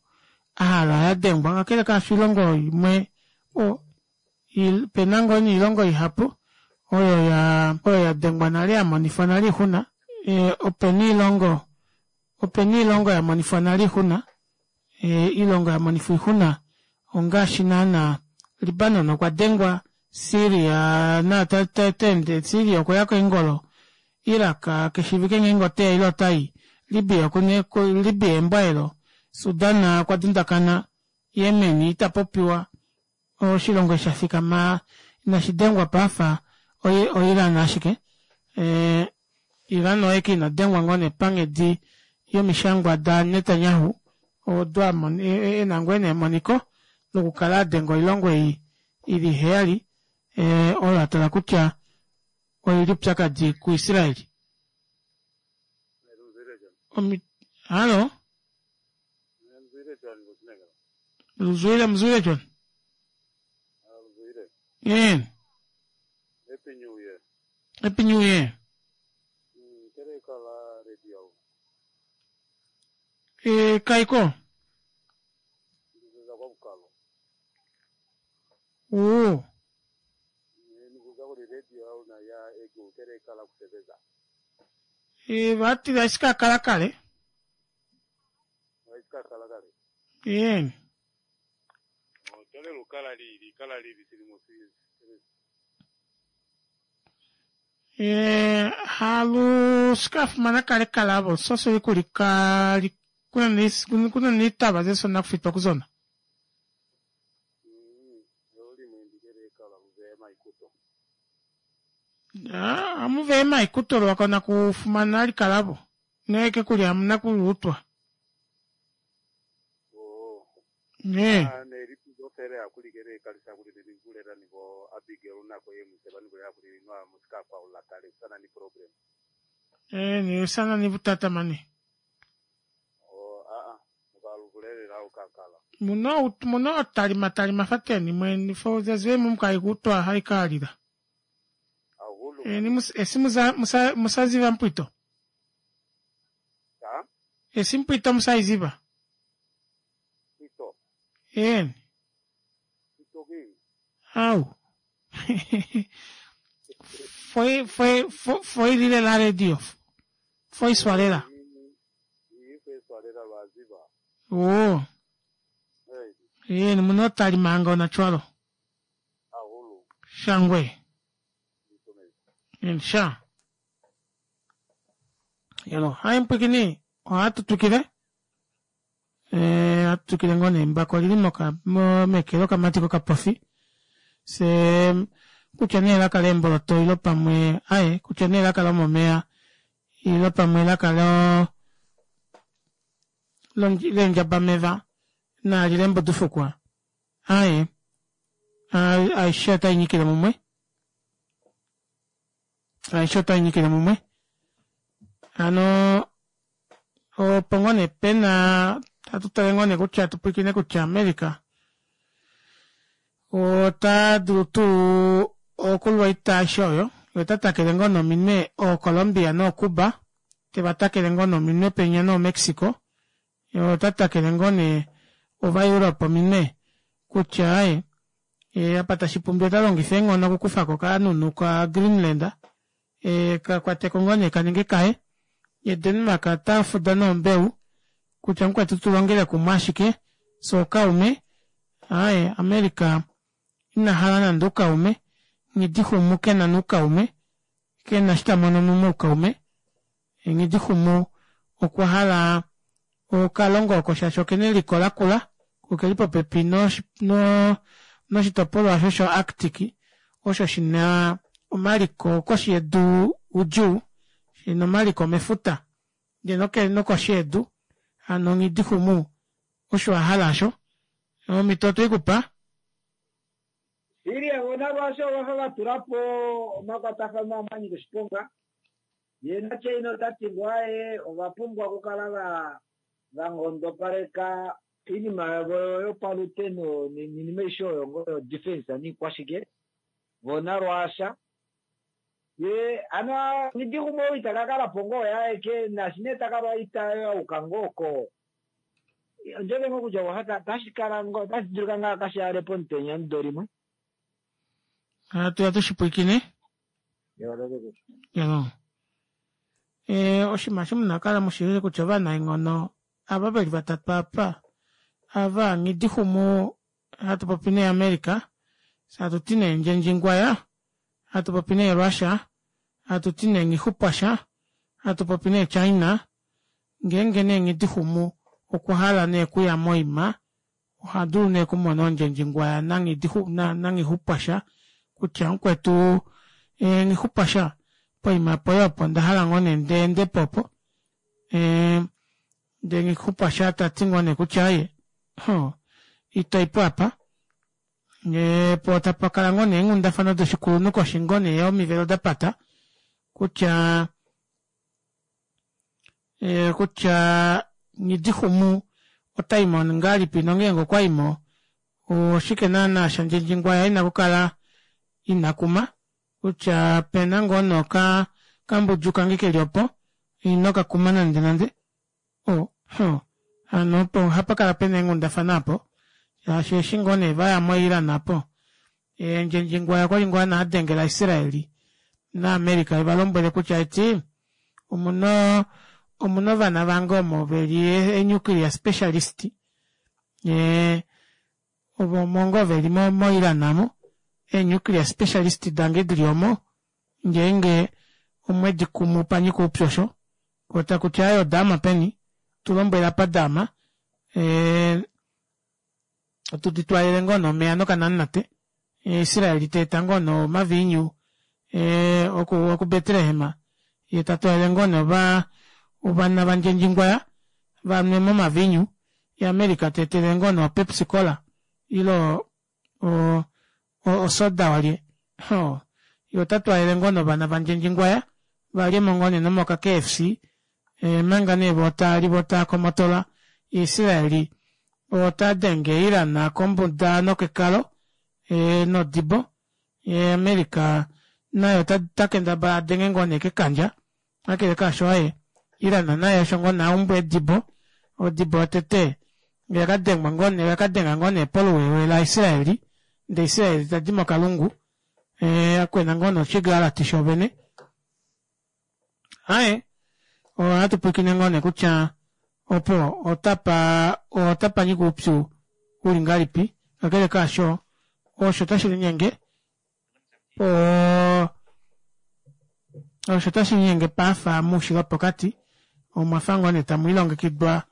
ahala yadengwa kakele kaasho oilongo imwe opena ngoo nee oilongo ihapu oyo oyo yadengwa nale yamonifwa nale oixuna opena oilongo opena oilongo yamonifwa nale oixuna oilongo yamonifwa oixuna ongaashi naana libanon okwa dengwa syria naye otaende syria okweya keengolo iraq keshiivike ngeenge oteya ile otayi libya libya embwa elo sudan okwa dundakana yemen ita popiwa oshilongo eshi shafikama inashidengwa paafa oiran ashike iran oye ashike inadengwa ngoo nee panghedi yomishangwa da Netanyahu odo ena ngoo emoniko lokukala adenga oilongo ei ili iheyali oyo atala kutya oili oupyakadi ku Israel. Hallo Mzwile mzwile John. Yeah. Happy New Year. Happy New Year. E, kaiko. Oo. kele ikala kusebeza. E, vati aishikakala kale. Aikakala kale. Yeni. Oh, tole lukala lili, kala lili silimo si. E, halu sikafumana kale kalabo soso kuli ka li- kuna ni kuna ni taba ze sona kufitwa kuzona. Mm, yoli mwendi kele ikala mzee maikuto. Ah, amuve maikuto lwakona kufumana likalabo. Neke kuli hamuna kulutwa. Oh. Ne. Ah, ne lipuzo fela ya kuli kele ikalisa kuli ne nikulela ni bo Abigail nako ye muse banikulela kuli nwa musika kwa ulakale sana ni problem. Eh, ni sana ni butata mane. Oh, ah ah, mukalubulelela ukakala. Muno muno talima talima fateni mwe fo zazwe mumkaikutwa haikalila. Ahulu. Eh, ni mus, esi musa, musa, musaziva mpwito. Ha? Esi mpwito musaiziva. Ito. Eh, Ito ki. au. Foi foi foi foi lile la radio. Foi swalela. Ife swalela lwaziba. Oh, Hey, eh, ni muno talima anga ona chwalo. ahulu. Shangwe. Itomezi. Insha. Yalo, hai mpwikini, ohatutukile. Eh, atutukile ngone embako lili moka mo mekelo kamatiko kapofi. Se kutya nee elaka lemboloto ilo pamwe aye kutya nee elaka lomomeya ilo pamwe elaka lo lo- lendjabameva naali lembudufukwa aye ai- aishe otainyikile mumwe aishe otainyikile mumwe hano opo ngoo nee pena tatu tale ngoo nee kutya tupwilikine kutya America ota dulu tuu okulwa oita aishe oyo ye ota takele ngoo nominwe ooColombia nooCuba teva takele ngoo nominwe penya nooMexico ye ota takele ngoo nee ovaEurope ominwe kutya aye e, apa tashi pumbiwa ota longifa eenghono okukufako okanunu ka Greenland e, kakwateko ngoo nee kaninge kaye ye Denmark ota fuda nombeu kutya mukwetu tulongele kumwe ashike so okaume aye America ina hala nande oukaume Nghidixumu kena noukaume kena eshi tamono moukaume Nghidixumu okwa hala okalongo oko shaashi okena eliko lakula ko okeli popepi noshi- no noshitopolwa osho sho Arctic osho shina omaliko koshi yedu udjuu shina omaliko mefuta ndee noke nokoshi yedu hano Nghidixumu osho ahala osho omhito otweikupa Siria vona lwasho vafa vatulapo omakwatafano amanyika oshiponga ye naChina otati ngo aye ovapumbwa okukala va vanghondopaleka iinima yavo yopaluteno niinima aishe oyo ngo yo defense niikwashike vona lwasha ye ano Nghidixumu ou ita kakalapo ngoo yaeke nashi nee takalwa ita yauka ngoo ko ondjove ngoo kutya oha tashi kala ngoo otashi dulika ngaa kashihale pomutenya omudo limwe hatu ya tushipwilikine yalo e, oshinima shimuna kala mushilile kutya ovanaenghono ava veli vatatu apa ava Nghidixumu hatu popi nee America hatu ti nee Ndjendjingwaya hatu popi nee Russia hatu ti nee Nghixupwasha hatu popi nee China ngeenge nee Nghidixumu okwa hala nee okuya moima oha dulu nee okumona ondjendjingwaya naNghidixu na naNghixupwasha kutya mukwetu e, Nghixupwasha poima poye opo onda hala ngoo nee ndeendepo opo e, ndee Nghixupwasha tati ngoo nee kutya aye ho itoipo apa e, po tapa kala ngoo nee eenghundafana doshikulunhu koshi ngoo nee omivelo dapata kutya e, kutya Nghidixumu otaimo ngahelipi nongeenge okwaimo oshike naana shandjendjingwaya ina kukala ina kuma kutya pena ngoo noka kambudju kange keli opo ino kakuma nande nande o ho hano opo ohapa kala pena eenghundafana apo shaashi eshi ngoo nee vaya moIran apo e, Ndjendjingwaya okwali ngoo ana adengela Israeli naAmerica ivalombwele kutya eti omuna omuna ovana vange omo veli e nuclear specialist ee ovo omo ngoo veli mo Iran aamo ee nuclear specialist dange dili omo ngeenge omwedi kumu panyika oupyu osho koo takuti aaye odaama peni tulombwela apa daama ee tudi twaalele ngoo nee omeva nokanamunate Israel teeta ngoo nee omaviinyu ee oku Betlehem yee tatwaalele ngoo nee ovaa ovana vandjendjingwaya vanwemo omaviinyu yee America teetelele ngoo nee o pepsi cola ile o- o soda walye ohoo yee otatwaalele ngoo nee ovana vandjendjingwaya valyemo ngoo nee nomoka K F C omanga nee voo taali voo taakomotola Israel otadenge Iran kombuda nokekalo ee nodibo yee America naye otakendabala adenge ngoo nee kekandja kakele kaasho aaye Iran naye osho ngoo nee aumbwa eedibo odibo yotete oyakadengwa ngoo nee oyakadenga ngoo nee poluwewe la Israel ndee Israel tadi mokalungu ee akwena ngoo nee oshigalati shoovene aaye ohatupwiikine ngoo nee kutya opo otapa otapanyika oupyu uli ngahelipi kakele kaasho osho tashilinyenge oo osho tashilinyenge paafa moushilo wopokati omwafa ngoo nee tamwiilongekidwa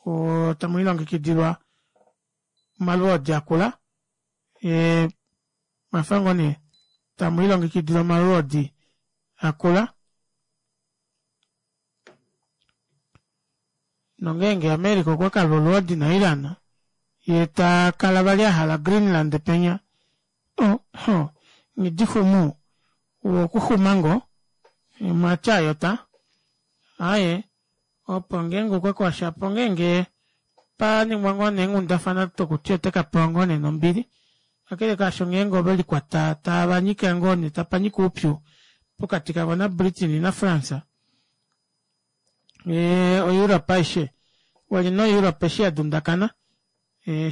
oo tamwiilongekidilwa omalwoodi akula ee omwafa ngoo nee tamwiilongekidilwa omalwoodi akula nongeenge America okwakalwa olwoodi na Iran yee takala vali ahala Greenland penya oh nghidixumu okuxuma ngoo mwatya ayota aaye opo ngeenge okwakwasha opo ngeenge paningwa ngoo nee eenghundafana dokuti otakapewa ngoo nee nombili kakele kaasho ngeenge ovelikwata tavanyike ngoo nee tapanyika oupyu pokati kavo na Britain na France ee o Europe aishe wali no Europe eshi yadundakana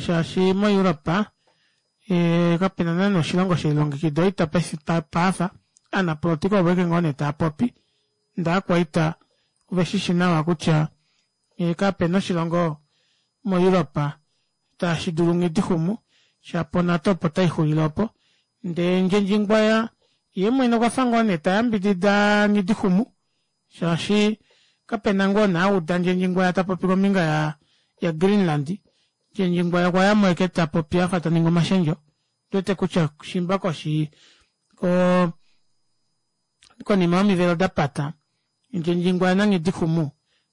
shaashi mo Europe kapena naana oshilongo shelilongekida oita paife paafa ovanapolitika ovo ashike ngoo nee taapopi ndee ovakwaita oveshishi nawa kutya kapena oshilongo mo Europe tashidulu nghidixumu shapo NATO opo taixulile opo ndee ndjendjingwaya yeemwene okwafa ngoo nee tayambidida nghidixumu shaashi kapena ngoo nee auda ndjendjingwaya tapopi kombinga ya ya Greenland ndjendjingwaya okwayamo ashike tapopi afa taningi omashendjo ondiwete kutya shimba koshi koo konima yomivelo dapata ndjendjingwaya nanghidixumu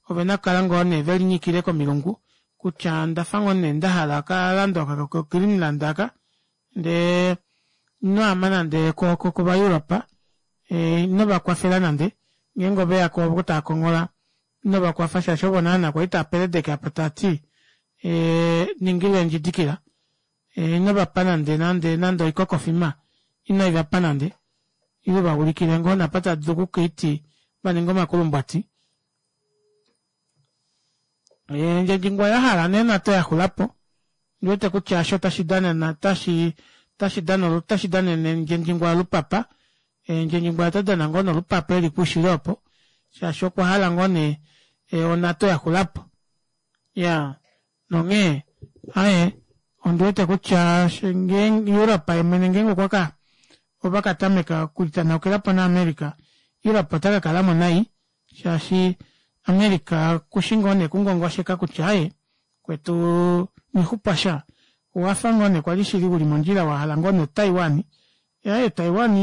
ovena okukala ngoo nee velinyikile komilungu kutya ondafa ngoo nee ndahala okalando aka ko Greenland aka ndee ino ama nande kova Europe inovakwafela nande ngeenge oveyako ovo taakonghola inovakwafa shaashi ovo naana kwali taapeledeke apa taati ningilwa eendjidikila inovapa nande nande nande oikokofima inoivapa nande ile uvaulikile ngoo nee apa taadulu okukaiti vaninge omakulumbwati ndjendjingwaya ahala nee NATO yaxulapo ondiwete kutya aasho otashi danana otashi otashi danene ndjendjingwaya olupapa ndjendjingwaya otadana ngoo nee olupapa eli koushilo opo shaashi okwahala ngoo nee o NATO yaxulapo iyaa nonghee aaye ondiwete kutya Europe yeemwene ngeenge okwaka ovakatameka okulitanaukilapo na America Europe otakakalamo nai shaashi America okushi ngoo nee okungongosheka kutya aaye mukwetu nghixupwasha owafa ngoo nee kwali shili uli mondjila wahala ngoo nee Taiwan aaye Taiwan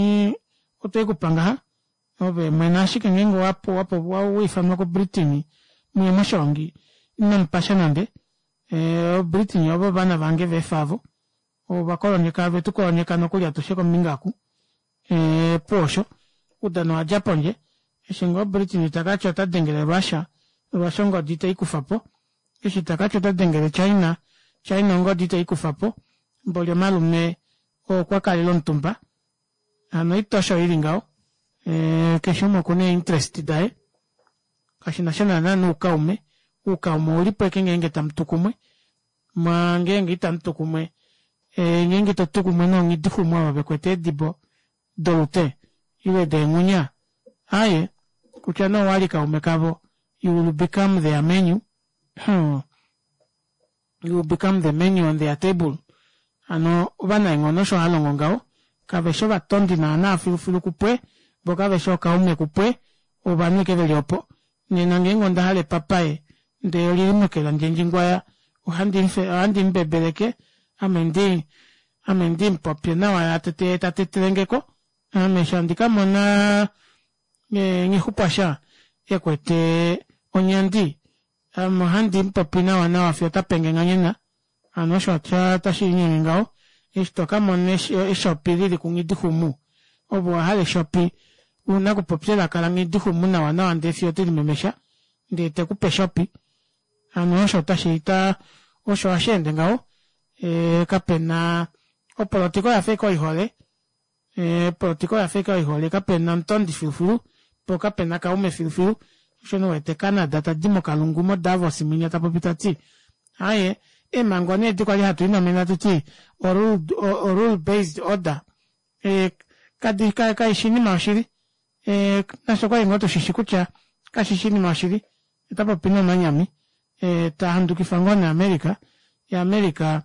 otwekupa ngaha ove mwene ashike ngeenge owaifanwa ku Britain muye moshoongi inomupasha nande o Britain ovo ovana vange veefa aavo ovakolonyeka ovetukolonyeka nokuli atushe kombinga oku opuwo osho oudano owadja pondje eshi ngoo Britain takati otadengele Russia, Russia ongodi teikufapo eshi takati otadengele China, China ongodi teikufapo mboli omalume okwakalela omutumba hano oita osho ili ngaho keshe umwe okuna ee interest daye kashinasha naana noukaume oukaume oulipo ashike ngeenge tamutu kumwe maa ngeenge itamutu kumwe ngeenge itotu kumwe noonghidixumwa ovo vekwete eedibo dolute Ile deenghunya aaye kutya nee owali kaume kavo you will become their menu hmm. You will become the menu on their table. Hano ovanaenghono osho halongo ngaho kaveshi ovatondi naana filufilu kupwe voo kaveshi ookaume kupwe ovanhu ashike veli opo nena ngeenge ondahala epapaye ndee olili meke landjendjingwaya ohandi mubebeleke ame ndi ame ndimupopye nawa yee tatetelengeko ame eshi handi kamona nghixupwasha ekwete onyandi ame ohandi mupopi nawa nawa fiyo otapenge nghanyena hano osho tashiinyenge ngaho eshi tokamona eshopi lili ku nghidixumu ove owahala eshopi ouna okupopya elaka la nghidixumu nawa nawa ndee fiyo telimemesha ndee tekupe eshopi hano osho osho hasheende ngaho kapena opolitika oyafa ashike oihole opolitika oyafa ashike oihole kapena omutondi filufilu poo kapena kaume filufilu osho nee uwete Canada tadi mokalungu mo Davos mwinya tapopi tati aaye eemhango nee edi kwali hatu linomene hatuti o rule based order kaifi oinima yoshili nafye okwali ngoo tushishi kutya kashishi oshinima yoshili otapopi nee omanyami tahandukifa ngoo nee America yee America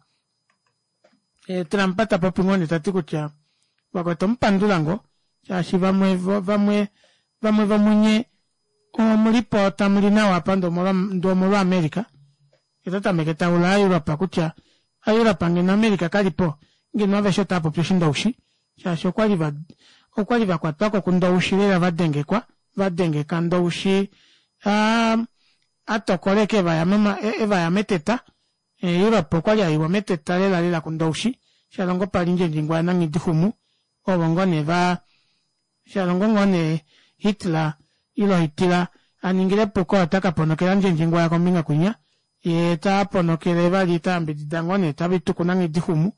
Trump tapopi ngoo nee tati kutya vakwetu omupandula ngoo shaashi vamwe vamwe vamwe vomunye omulipo tamuli nawa apa ndee omolwa America yee otatameke taula aaEurope kutya aaEurope ngeno America kalipo ngeno aveshe otaapopi oshindoushi shaashi okwali okwali vakwatwako kundoushi lela vadengekwa vadengeka ndoushi atokole ashike evaya meteta Europe okwali aiwa meteta lela lela kundoushi shalongo pali ndjendjingwaya nanghidixumu ovo ngoo nee va shalongo ngoo nee Hitler ile Hitila aningile epuko ota kaponokela ndjendjingwaya kombinga kwinya yee taponokele vali tayambidida ngoo nee tavituku nanghidixumu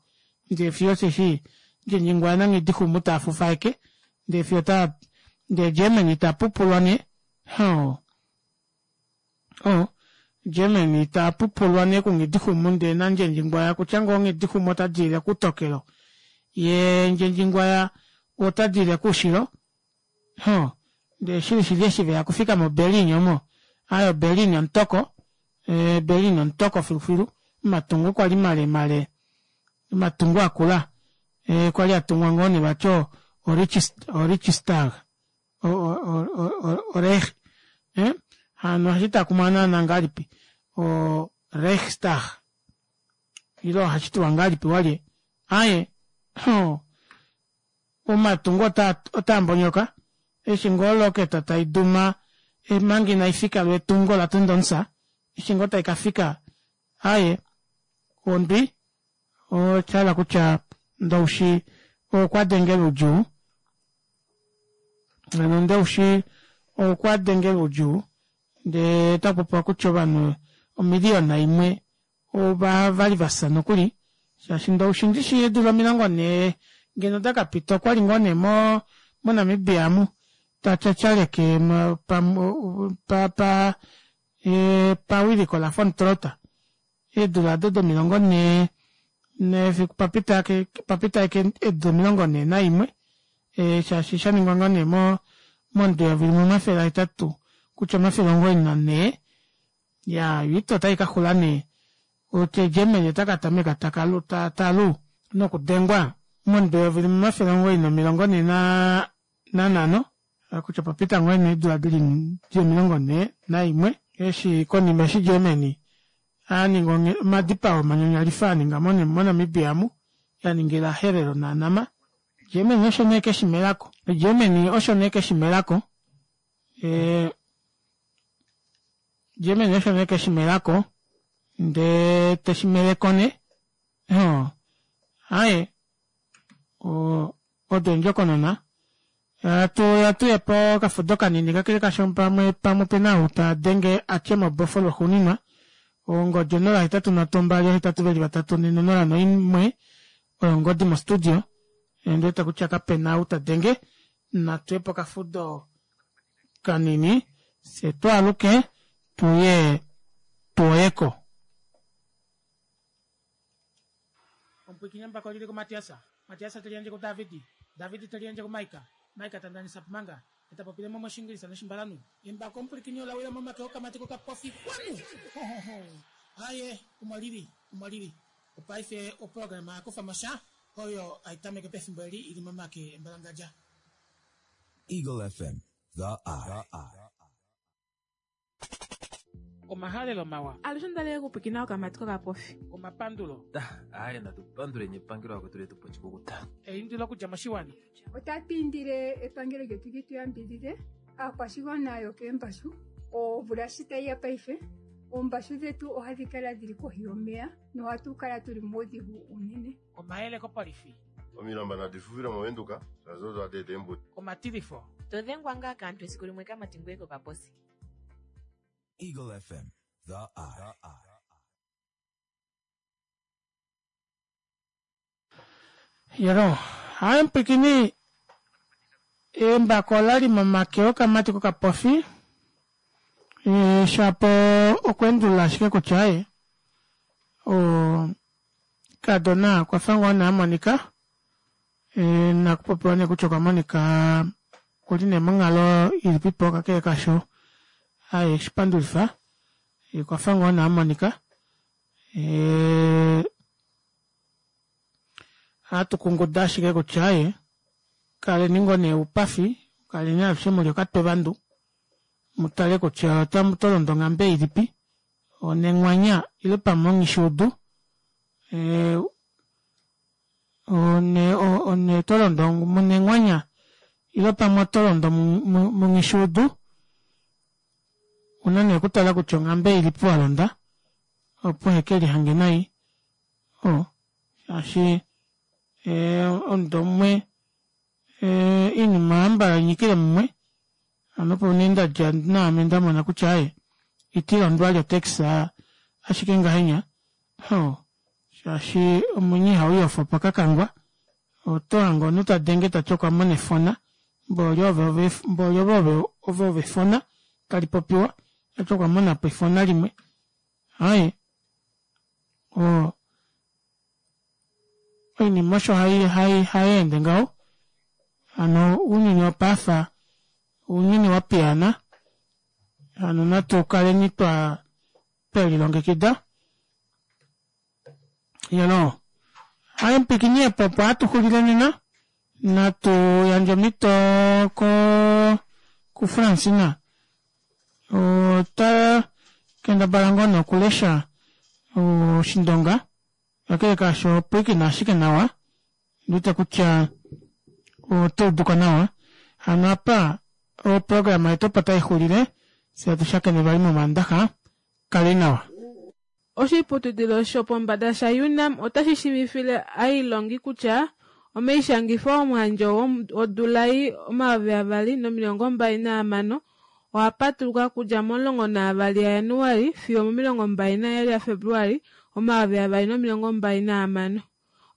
ndee fiyo osheshi ndjendjingwaya nanghidixumu taafufaeke ndee fiyo ota ndee Germany tapupulwa nee hoo oh Germany tapupulwa nee kunghidixumu ndee nandjendjingwaya kutya ngoo nghidixumu otadiilile kuutokelo yee ndjendjingwaya otadiilile koushilo hoo ndee shili shili eshi veya okufika mo Berlin omo aaye o Berlin omutoko Berlin omutoko filufilu omatungo kwali male male omatungo akula kwali atungwa ngoo nee vati o Reichstag o Reich hano ohashitakumwa naana ngahelipi o Reichstag ile ohashitiwa ngahelipi walye aaye omatungo otaambonyoka eshi ngoo oloketa taiduma omanga inaifika lwetungo latunda omusa eshi ngoo taikafika aaye ondwi oshahala kutya ndoushi okwadengela oudjuu hano ndoushi okwadengela oudjuu ndee otakupopiwa kutya ovanhu omiliyona imwe ovali vafya nokuli shaashi ndoushi ndishi eedula omilongo nhee ngeno dakapita okwali ngoo nee mo moNamibia amu tatyatyaleke pa pa pawiliko la Von Trotha eedula aado domilongo nhee nefiku papita papita ashike eedula omilongo nhee naimwe shaashi shaningwa ngoo nee mo momudo eyovi limwe omafele ahetatu kutya omafele omugoyi nanhee iyaa oita otaikaxula nee otye Germany otakatameka takalu talu nokudengwa momudo eyovi limwe omafele omugoyi nomilongo nhee nanhano kutya opapita ngoo nee eedula dili omilongo nhee naimwe eshi konima eshi Germany aninga omadipao manyanyalifa aninga moNamibia amu yaningila Herero naNama Germany osho nee keshimelako Germany osho nee keshimelako Germany osho nee keshimelako ndee teshimeleko nee aaye odo eendjokonona hatu hatuya pokafudo kanini kakele kasho pamwe pamwe opena ou tadenge atye mobofo lwaxuuninwa ongodi onola hetatu nhatu mbali ohetatu veli vatatu nhee onola noimwe oyo ongodi mo studio ondiwete kutya kapena ou tadenge natuye pokafudo kanini fye twaaluke tuye tuoyeko. Omupwikinyambako olili kuMatias, Matias te liyandje kuDavid, David te liyandje kuMaika, Mike tandanisa pumanga eta popile mo moshingilisa noshimbalanu embako omupulikini olawila momake okamati kokapofi kwanu hohoho aye umwalili umwalili opaife oprograma yakufa mosha oyo aitameke pefimbo eli ili momake embalangadja. Eagle F M, the eye. Omahalelo mawa. Alushe ndale kupikina okamati kokapofi. Omapandulo. Aye, natupanduleni epangelo akwetu letu pochikukuta. Eindilo okudja moshiwana. Otatu indile epangelo lyetu li tu yambidhidhe aakwashigwana yokeembashu omvula shi tayi ya paife oombashu dhetu ohadhi kala dhili kohi yomeya nohatu kala tuli muudhigu unene. Omayele kopolifi. Omilamba nadi fufile moVenduka shaashi odo hadi eta eembudi. Omatilifo. To dhengwa ngaa kaantu esiku limwe kamati ngoye kokaposi. Eagle F M, the eye. Yero, hayi mpwikini embako olali momake okamati kokapofi e, shapo okwendulula ashike kutya aye o kadona okwafa ngoo nee amonika e, nakupopiwa nee kutya okwa monika kuli nee monghalo ilipipo kakele kasho aye shipandulifa okwafa ngoo nee amonika e, hatukunguda ashike kutya aye kaleni ngoo nee oupafi kaleni alushe muli okatwe vandu mutale kutya otamu tolondo onghambe ilipi onenghwanya ile pamwe onghishuudu e, one one tolondo munenghwanya ile pamwe otolondo munghishuudu una nee okutala kutya onghambe ilipi walonda opo heke lihange nai o shaashi omudo umwe iinima ambala inyikile mumwe ano opo nee ndadja naame ndamona kutya aye itilondwa lyo taxi ashike ngahenya o shaashi omwenyo ihauyofa pakakangwa oto hange omunhu tadenge tati okwamona efona mboli ove mboli ove ove efona talipopiwa tati okwamonapo efona limwe aye o oinima osho hai hai hayeende ngaho hano ounyuni wopaife ounyuni wapiyana hano natu kaleni twa twelilongekida yelo aye mpikini epo opo hatuxulile nena natu yandje omhito ko kuFrancina ota kendabala ngoo nee okulesha oshindonga kakele kaasho opwiikina ashike nawa ndiwete kutya otauduko nawa hano apa oprograma yetu opo taixulile fye atushakene vali momandaxa kale nawa. Oshiputudilo shopombada sha UNAM otashi shiivifile aailongi kutya omaishangifo omuhandjo wodula ei omayovi avali nomilongo mbali nahamano oha patuluka kudja momulongo naavali yaJanuali fiyo momilongo mbali naheyali yaFebruali omayovi avali nomilongo mbali nahamano.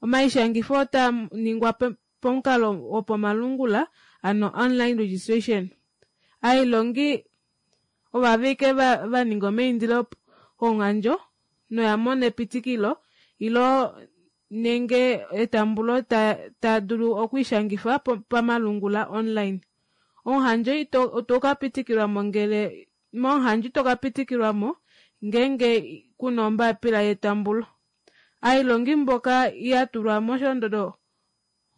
Omaishangifo otaa ningwa pomukalo wopamalungula ano online registration. Aailongi ovavike va ninga omaindilo komuhandjo noya mona epitikilo ilo nenge etambulo taa dulu okwiishangifa pamalungula online. Omuhandjo ito ka pitikilwamo ngele momuhandjo ito ka pitikilwamo ngeenge kuna ombapila yetambulo. Aailongi mboka ya tulwa mosholondodo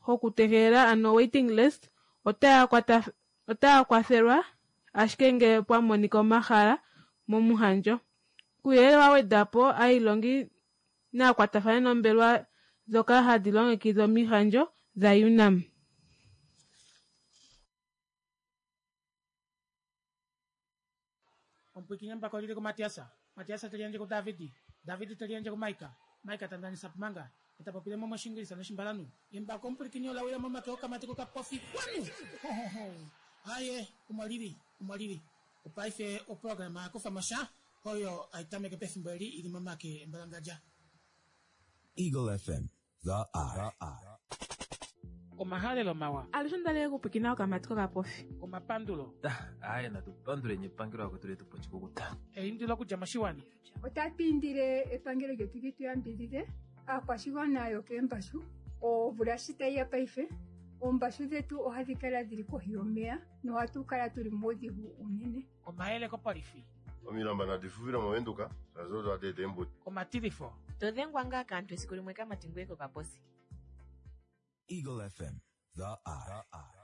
hokutegelela ano waiting list otaya kwafelwa ashike ngele pwa monika omahala momuhandjo. Kuuyelele wa wedapo aailongi naakwatafane nombelewa dhoka hadi longekidha omihandjo dha UNAM. Omupwiikini mbako lili ku Matiasa, Matiasa teliandje ku Davidi, Davidi teliandje ku Maika, Maika tandanisa pumanga eta popile mo moshingilisa noshimbalanu embako omupwiikini olawila momake okamati kokapofi kwanu hohoho aye umwalili umwalili opaife oprograma yakufa mosha oyo aitameke pefimbo eli ili momake embalangadja. Eagle F M, the eye. Omahalelo mawa. Alushe ndale kupikina okamati kokapofi. Omapandulo. Aye, natupanduleni epangelo akwetu letu pochikukuta. Eindilo okudja moshiwana. Otatu indile epangelo lyetu li tu yambidhidhe aakwashigwana yokeembashu omvula shi tayi ya paife Oombashu dhetu ohadhi kala dhili kohi yomeya nohatu kala tuli muudhigu unene. Omayele kopolifi. Omilamba nadi fufile mOvenduka shaashi odo hadi eta eembudi. Omatilifo. To dhengwa ngaa kaantu esiku limwe kamati ngoye kokaposi. Eagle F M, the eye.